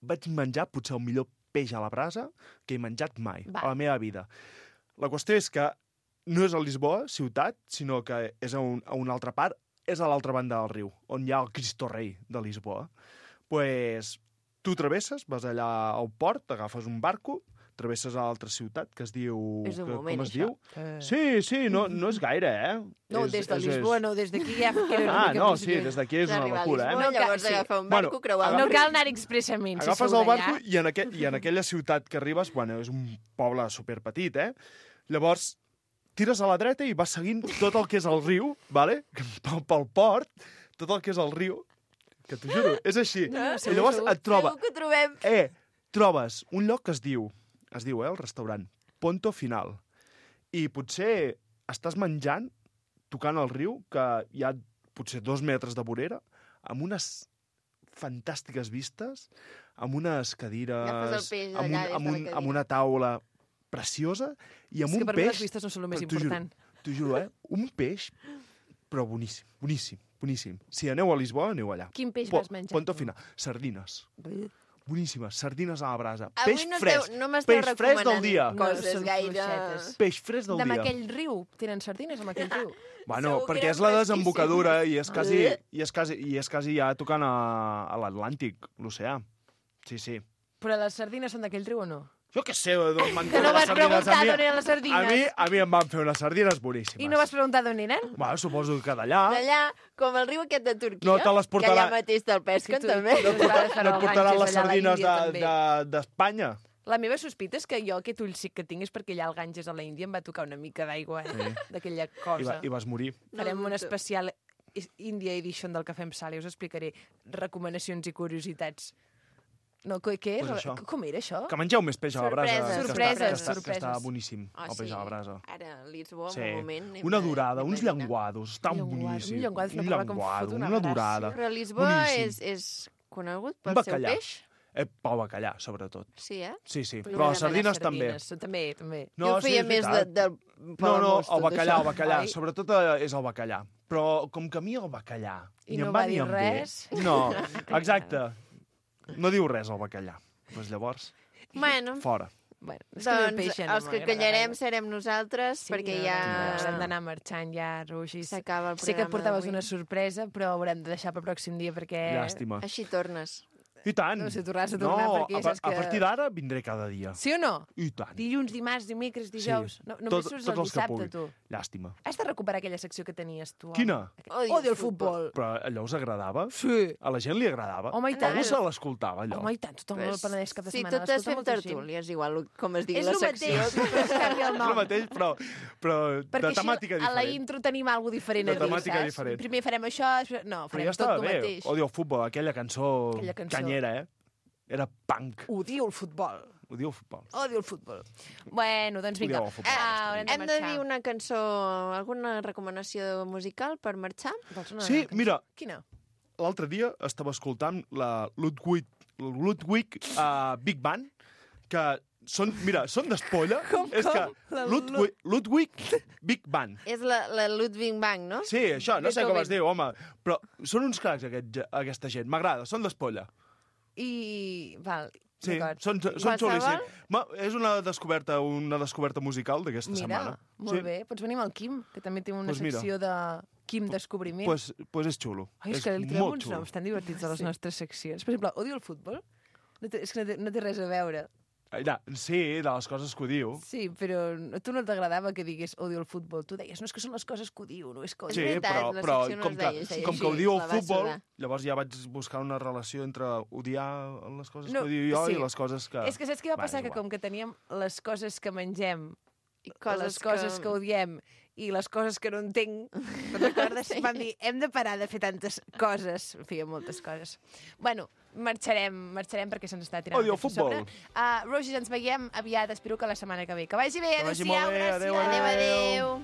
vaig menjar potser el millor peix a la brasa que he menjat mai a la meva vida. La qüestió és que no és a Lisboa, ciutat, sinó que és a una altra part, és a l'altra banda del riu, on hi ha el Cristo Rei de Lisboa. Pues, tu travesses, vas allà al port, agafes un barco, travesses a l'altra ciutat, que es diu... És un moment, com es això. diu? Sí, no és gaire, eh? No, des de Lisboa, no, des d'aquí ja queda una Ah, mica no, més sí, lluny. des d'aquí és una D'arribar a locura, Lisboa, eh? llavors agafar un barco, creuar No el cal anar expressament, si Agafes sou el barco d'allà. i en aquella ciutat que arribes, bueno, és un poble superpetit, eh? Llavors, tires a la dreta i vas seguint tot el que és el riu, vale? pel port, tot el que és el riu, que t'ho juro, és així. No, I llavors et troba... Segur que ho trobem. trobes un lloc que es diu el restaurant Ponto Final, i potser estàs menjant, tocant el riu, que hi ha potser 2 metres de vorera, amb unes fantàstiques vistes, amb unes cadires, amb una taula preciosa, i amb un peix... És que per mi les vistes no són el més important. T'ho juro, un peix, però boníssim, boníssim, boníssim. Si aneu a Lisboa, aneu allà. Quin peix vas menjar? Ponto Final. Sardines. Boníssimes, sardines a la brasa. Avui Peix fresc. No m'esteu recomanant coses gaire... Peix fresc del dia. Amb aquell riu. Tenen sardines amb aquell riu. Bueno, perquè és la desembocadura i és quasi ja tocant a l'Atlàntic, l'oceà. Sí, sí. Però les sardines són d'aquell riu o no? Jo què sé, que no vas preguntar d'on eren les sardines. A mi em van fer unes sardines boníssimes. I no vas preguntar d'on eren? Bueno, suposo que d'allà. D'allà, com el riu aquest de Turquia, no te les portarà... que allà mateix te'l pesquen, també. No et portaran les sardines d'Espanya. La meva sospita és que jo aquest ullcic que tinc és perquè allà al Ganges a la Índia em va tocar una mica d'aigua, d'aquella cosa. I vas morir. Farem un especial India Edition del Cafè amb Sal i us explicaré recomanacions i curiositats. No, què és? Pues com era això? Que mengeu més peix a la brasa. Sorpreses. Que està boníssim, el peix a la brasa. Ara, a Lisboa, en un moment... Una dorada, uns llenguados, estan boníssims. Un llenguado, una dorada. Però Lisboa és conegut pel seu peix? Pel bacallà, sobretot. Sí, Sí, però les sardines també. També. Jo feia més del... No, el bacallà. Sobretot és el bacallà. Però com que a mi el bacallà... I no va dir res. No, exacte. No diu res el bacallà. Doncs llavors, fora. Bueno, doncs els que callarem serem nosaltres, perquè ja... Hem d'anar marxant ja, Rugis. S'acaba el programa. Sé que et portaves una sorpresa, però haurem de deixar per pròxim dia perquè... Llàstima. Així tornes. I tant. No sé, tornaràs a tornar perquè saps que... A partir d'ara vindré cada dia. Sí o no? I tant. Dilluns, dimarts, dimecres, dijous. Només surts el dissabte, tu. Llàstima. Has de recuperar aquella secció que tenies, tu. Quina? Odio el futbol. Però allò us agradava? Sí. A la gent li agradava? Home, i tant. Algú se l'escoltava, allò? Home, i tant. Tothom el Penedès cap de setmana. Si totes fem tertúlies, igual com es digui la secció. És el mateix, però es canvia el nom. És el mateix, però de temàtica diferent. Perquè a la intro tenim alguna diferent a dir, saps? De temàtica diferent. Primer farem això, no, farem tot el mateix. Odio el futbol, aquella cançó canyera, Era punk. Odio el futbol. Odio el futbol. Odio el futbol. Bueno, doncs vinga. Hem de dir una cançó, alguna recomanació musical per marxar? Sí, mira. Quina? L'altre dia estava escoltant la Ludwig Big Band, que són d'espolla. Com? Ludwig Big Band. És la Ludwig Band, no? Sí, això, no sé com es diu, home. Però són uns cracs, aquesta gent. M'agrada, són d'espolla. Val, sí, són xulíssims. És una descoberta musical d'aquesta setmana. Mira, molt bé. Pots venir amb el Quim, que també té una secció de Quim Descobriment. Pues és xulo. Ai, és que li trobem uns noms tan divertits a les nostres seccions. Per exemple, odio el futbol. És que no té res a veure. Sí, de les coses que ho diu. Sí, però a tu no t'agradava que digués odio el futbol. Tu deies, no, és que són les coses que ho diu, no és que ho diu. Sí, però com que ho diu el futbol, llavors ja vaig buscar una relació entre odiar les coses que ho diu jo i les coses que... És que saps què va passar? Que com que teníem les coses que mengem, les coses que odiem i les coses que no entenc, recordes? Vam dir, hem de parar de fer tantes coses. Feia moltes coses. Bueno, marxarem perquè se'ns està tirant. Odio el futbol. Rogis, ens veiem aviat. Espero que la setmana que ve. Que vagi bé. Adéu-siau. Adéu.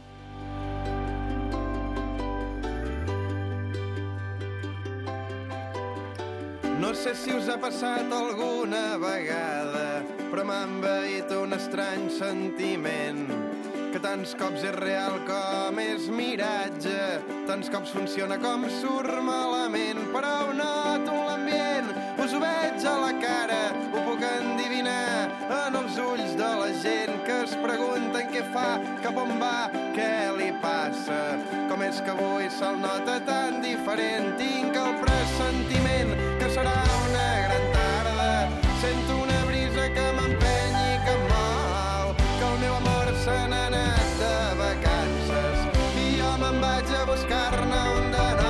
No sé si us ha passat alguna vegada, però m'ha envaït un estrany sentiment, que tants cops és real com és miratge, tants cops funciona com surt malament, però ho noto en l'ambient, us ho veig a la cara, ho puc endivinar en els ulls de la gent que es pregunten què fa, cap on va, què li passa, com és que avui se'l nota tan diferent, tinc el pressentiment que serà una gran tarda, sento una brisa que m'empeny i que em mou, que el meu amor se n'ha anat de vacances i jo me'n vaig a buscar-ne un de nou.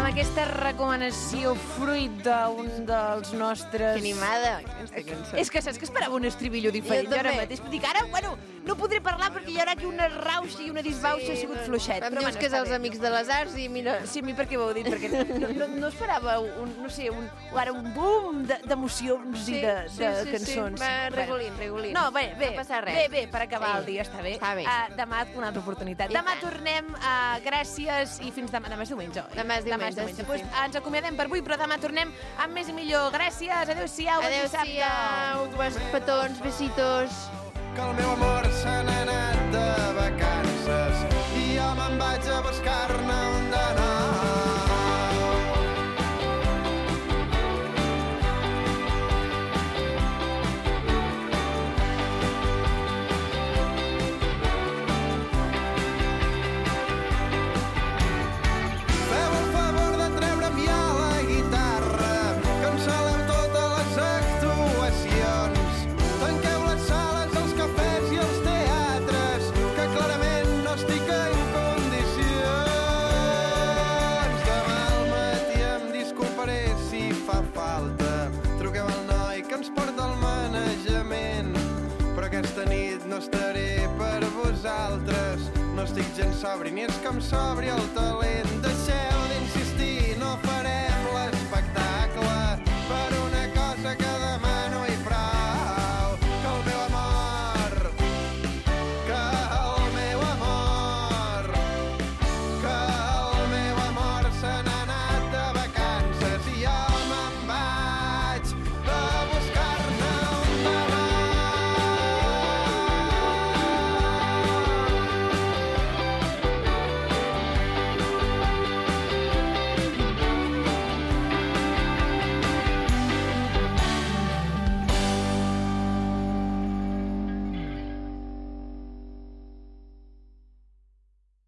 Amb aquesta recomanació fruit d'un dels nostres... Que animada, aquesta cançó. És que saps que esperava un estribillo diferent. Jo també. Ara mateix. Dic, ara, bueno, no podré parlar perquè hi haurà aquí una rauxa i una disbauxa, ha sigut fluixet. Em dius que és els Amics de les Arts i mira... Sí, a mi per què ho heu dit? Perquè no esperava un boom d'emocions i de cançons. Sí, regulint. No, bé, No passa res. Bé, per acabar el dia, està bé. Està bé. Demà una altra oportunitat. Demà tornem, gràcies, i fins demà. Demà és diumenge, oi? Demà és diumenge, sí. Pues, ens acomiadem per avui, però demà tornem amb més i millor. Gràcies, adéu-siau, bon dissabte. Adéu-siau, petons, besitos. Que el meu amor se n'ha anat de vacances i jo me'n vaig a buscar-ne un de nou. Feu el favor de treure'm ja la guitarra, cancel·leu totes les actuacions, tanqueu les sales, els cafès i els teatres, que clarament no estic en condicions. Demà al matí em disculparé si fa falta, truqueu al noi que ens porta el manejament, però aquesta nit no estaré per vosaltres, no estic gens sobri ni és que em sobri el talent. Deixeu d'insistir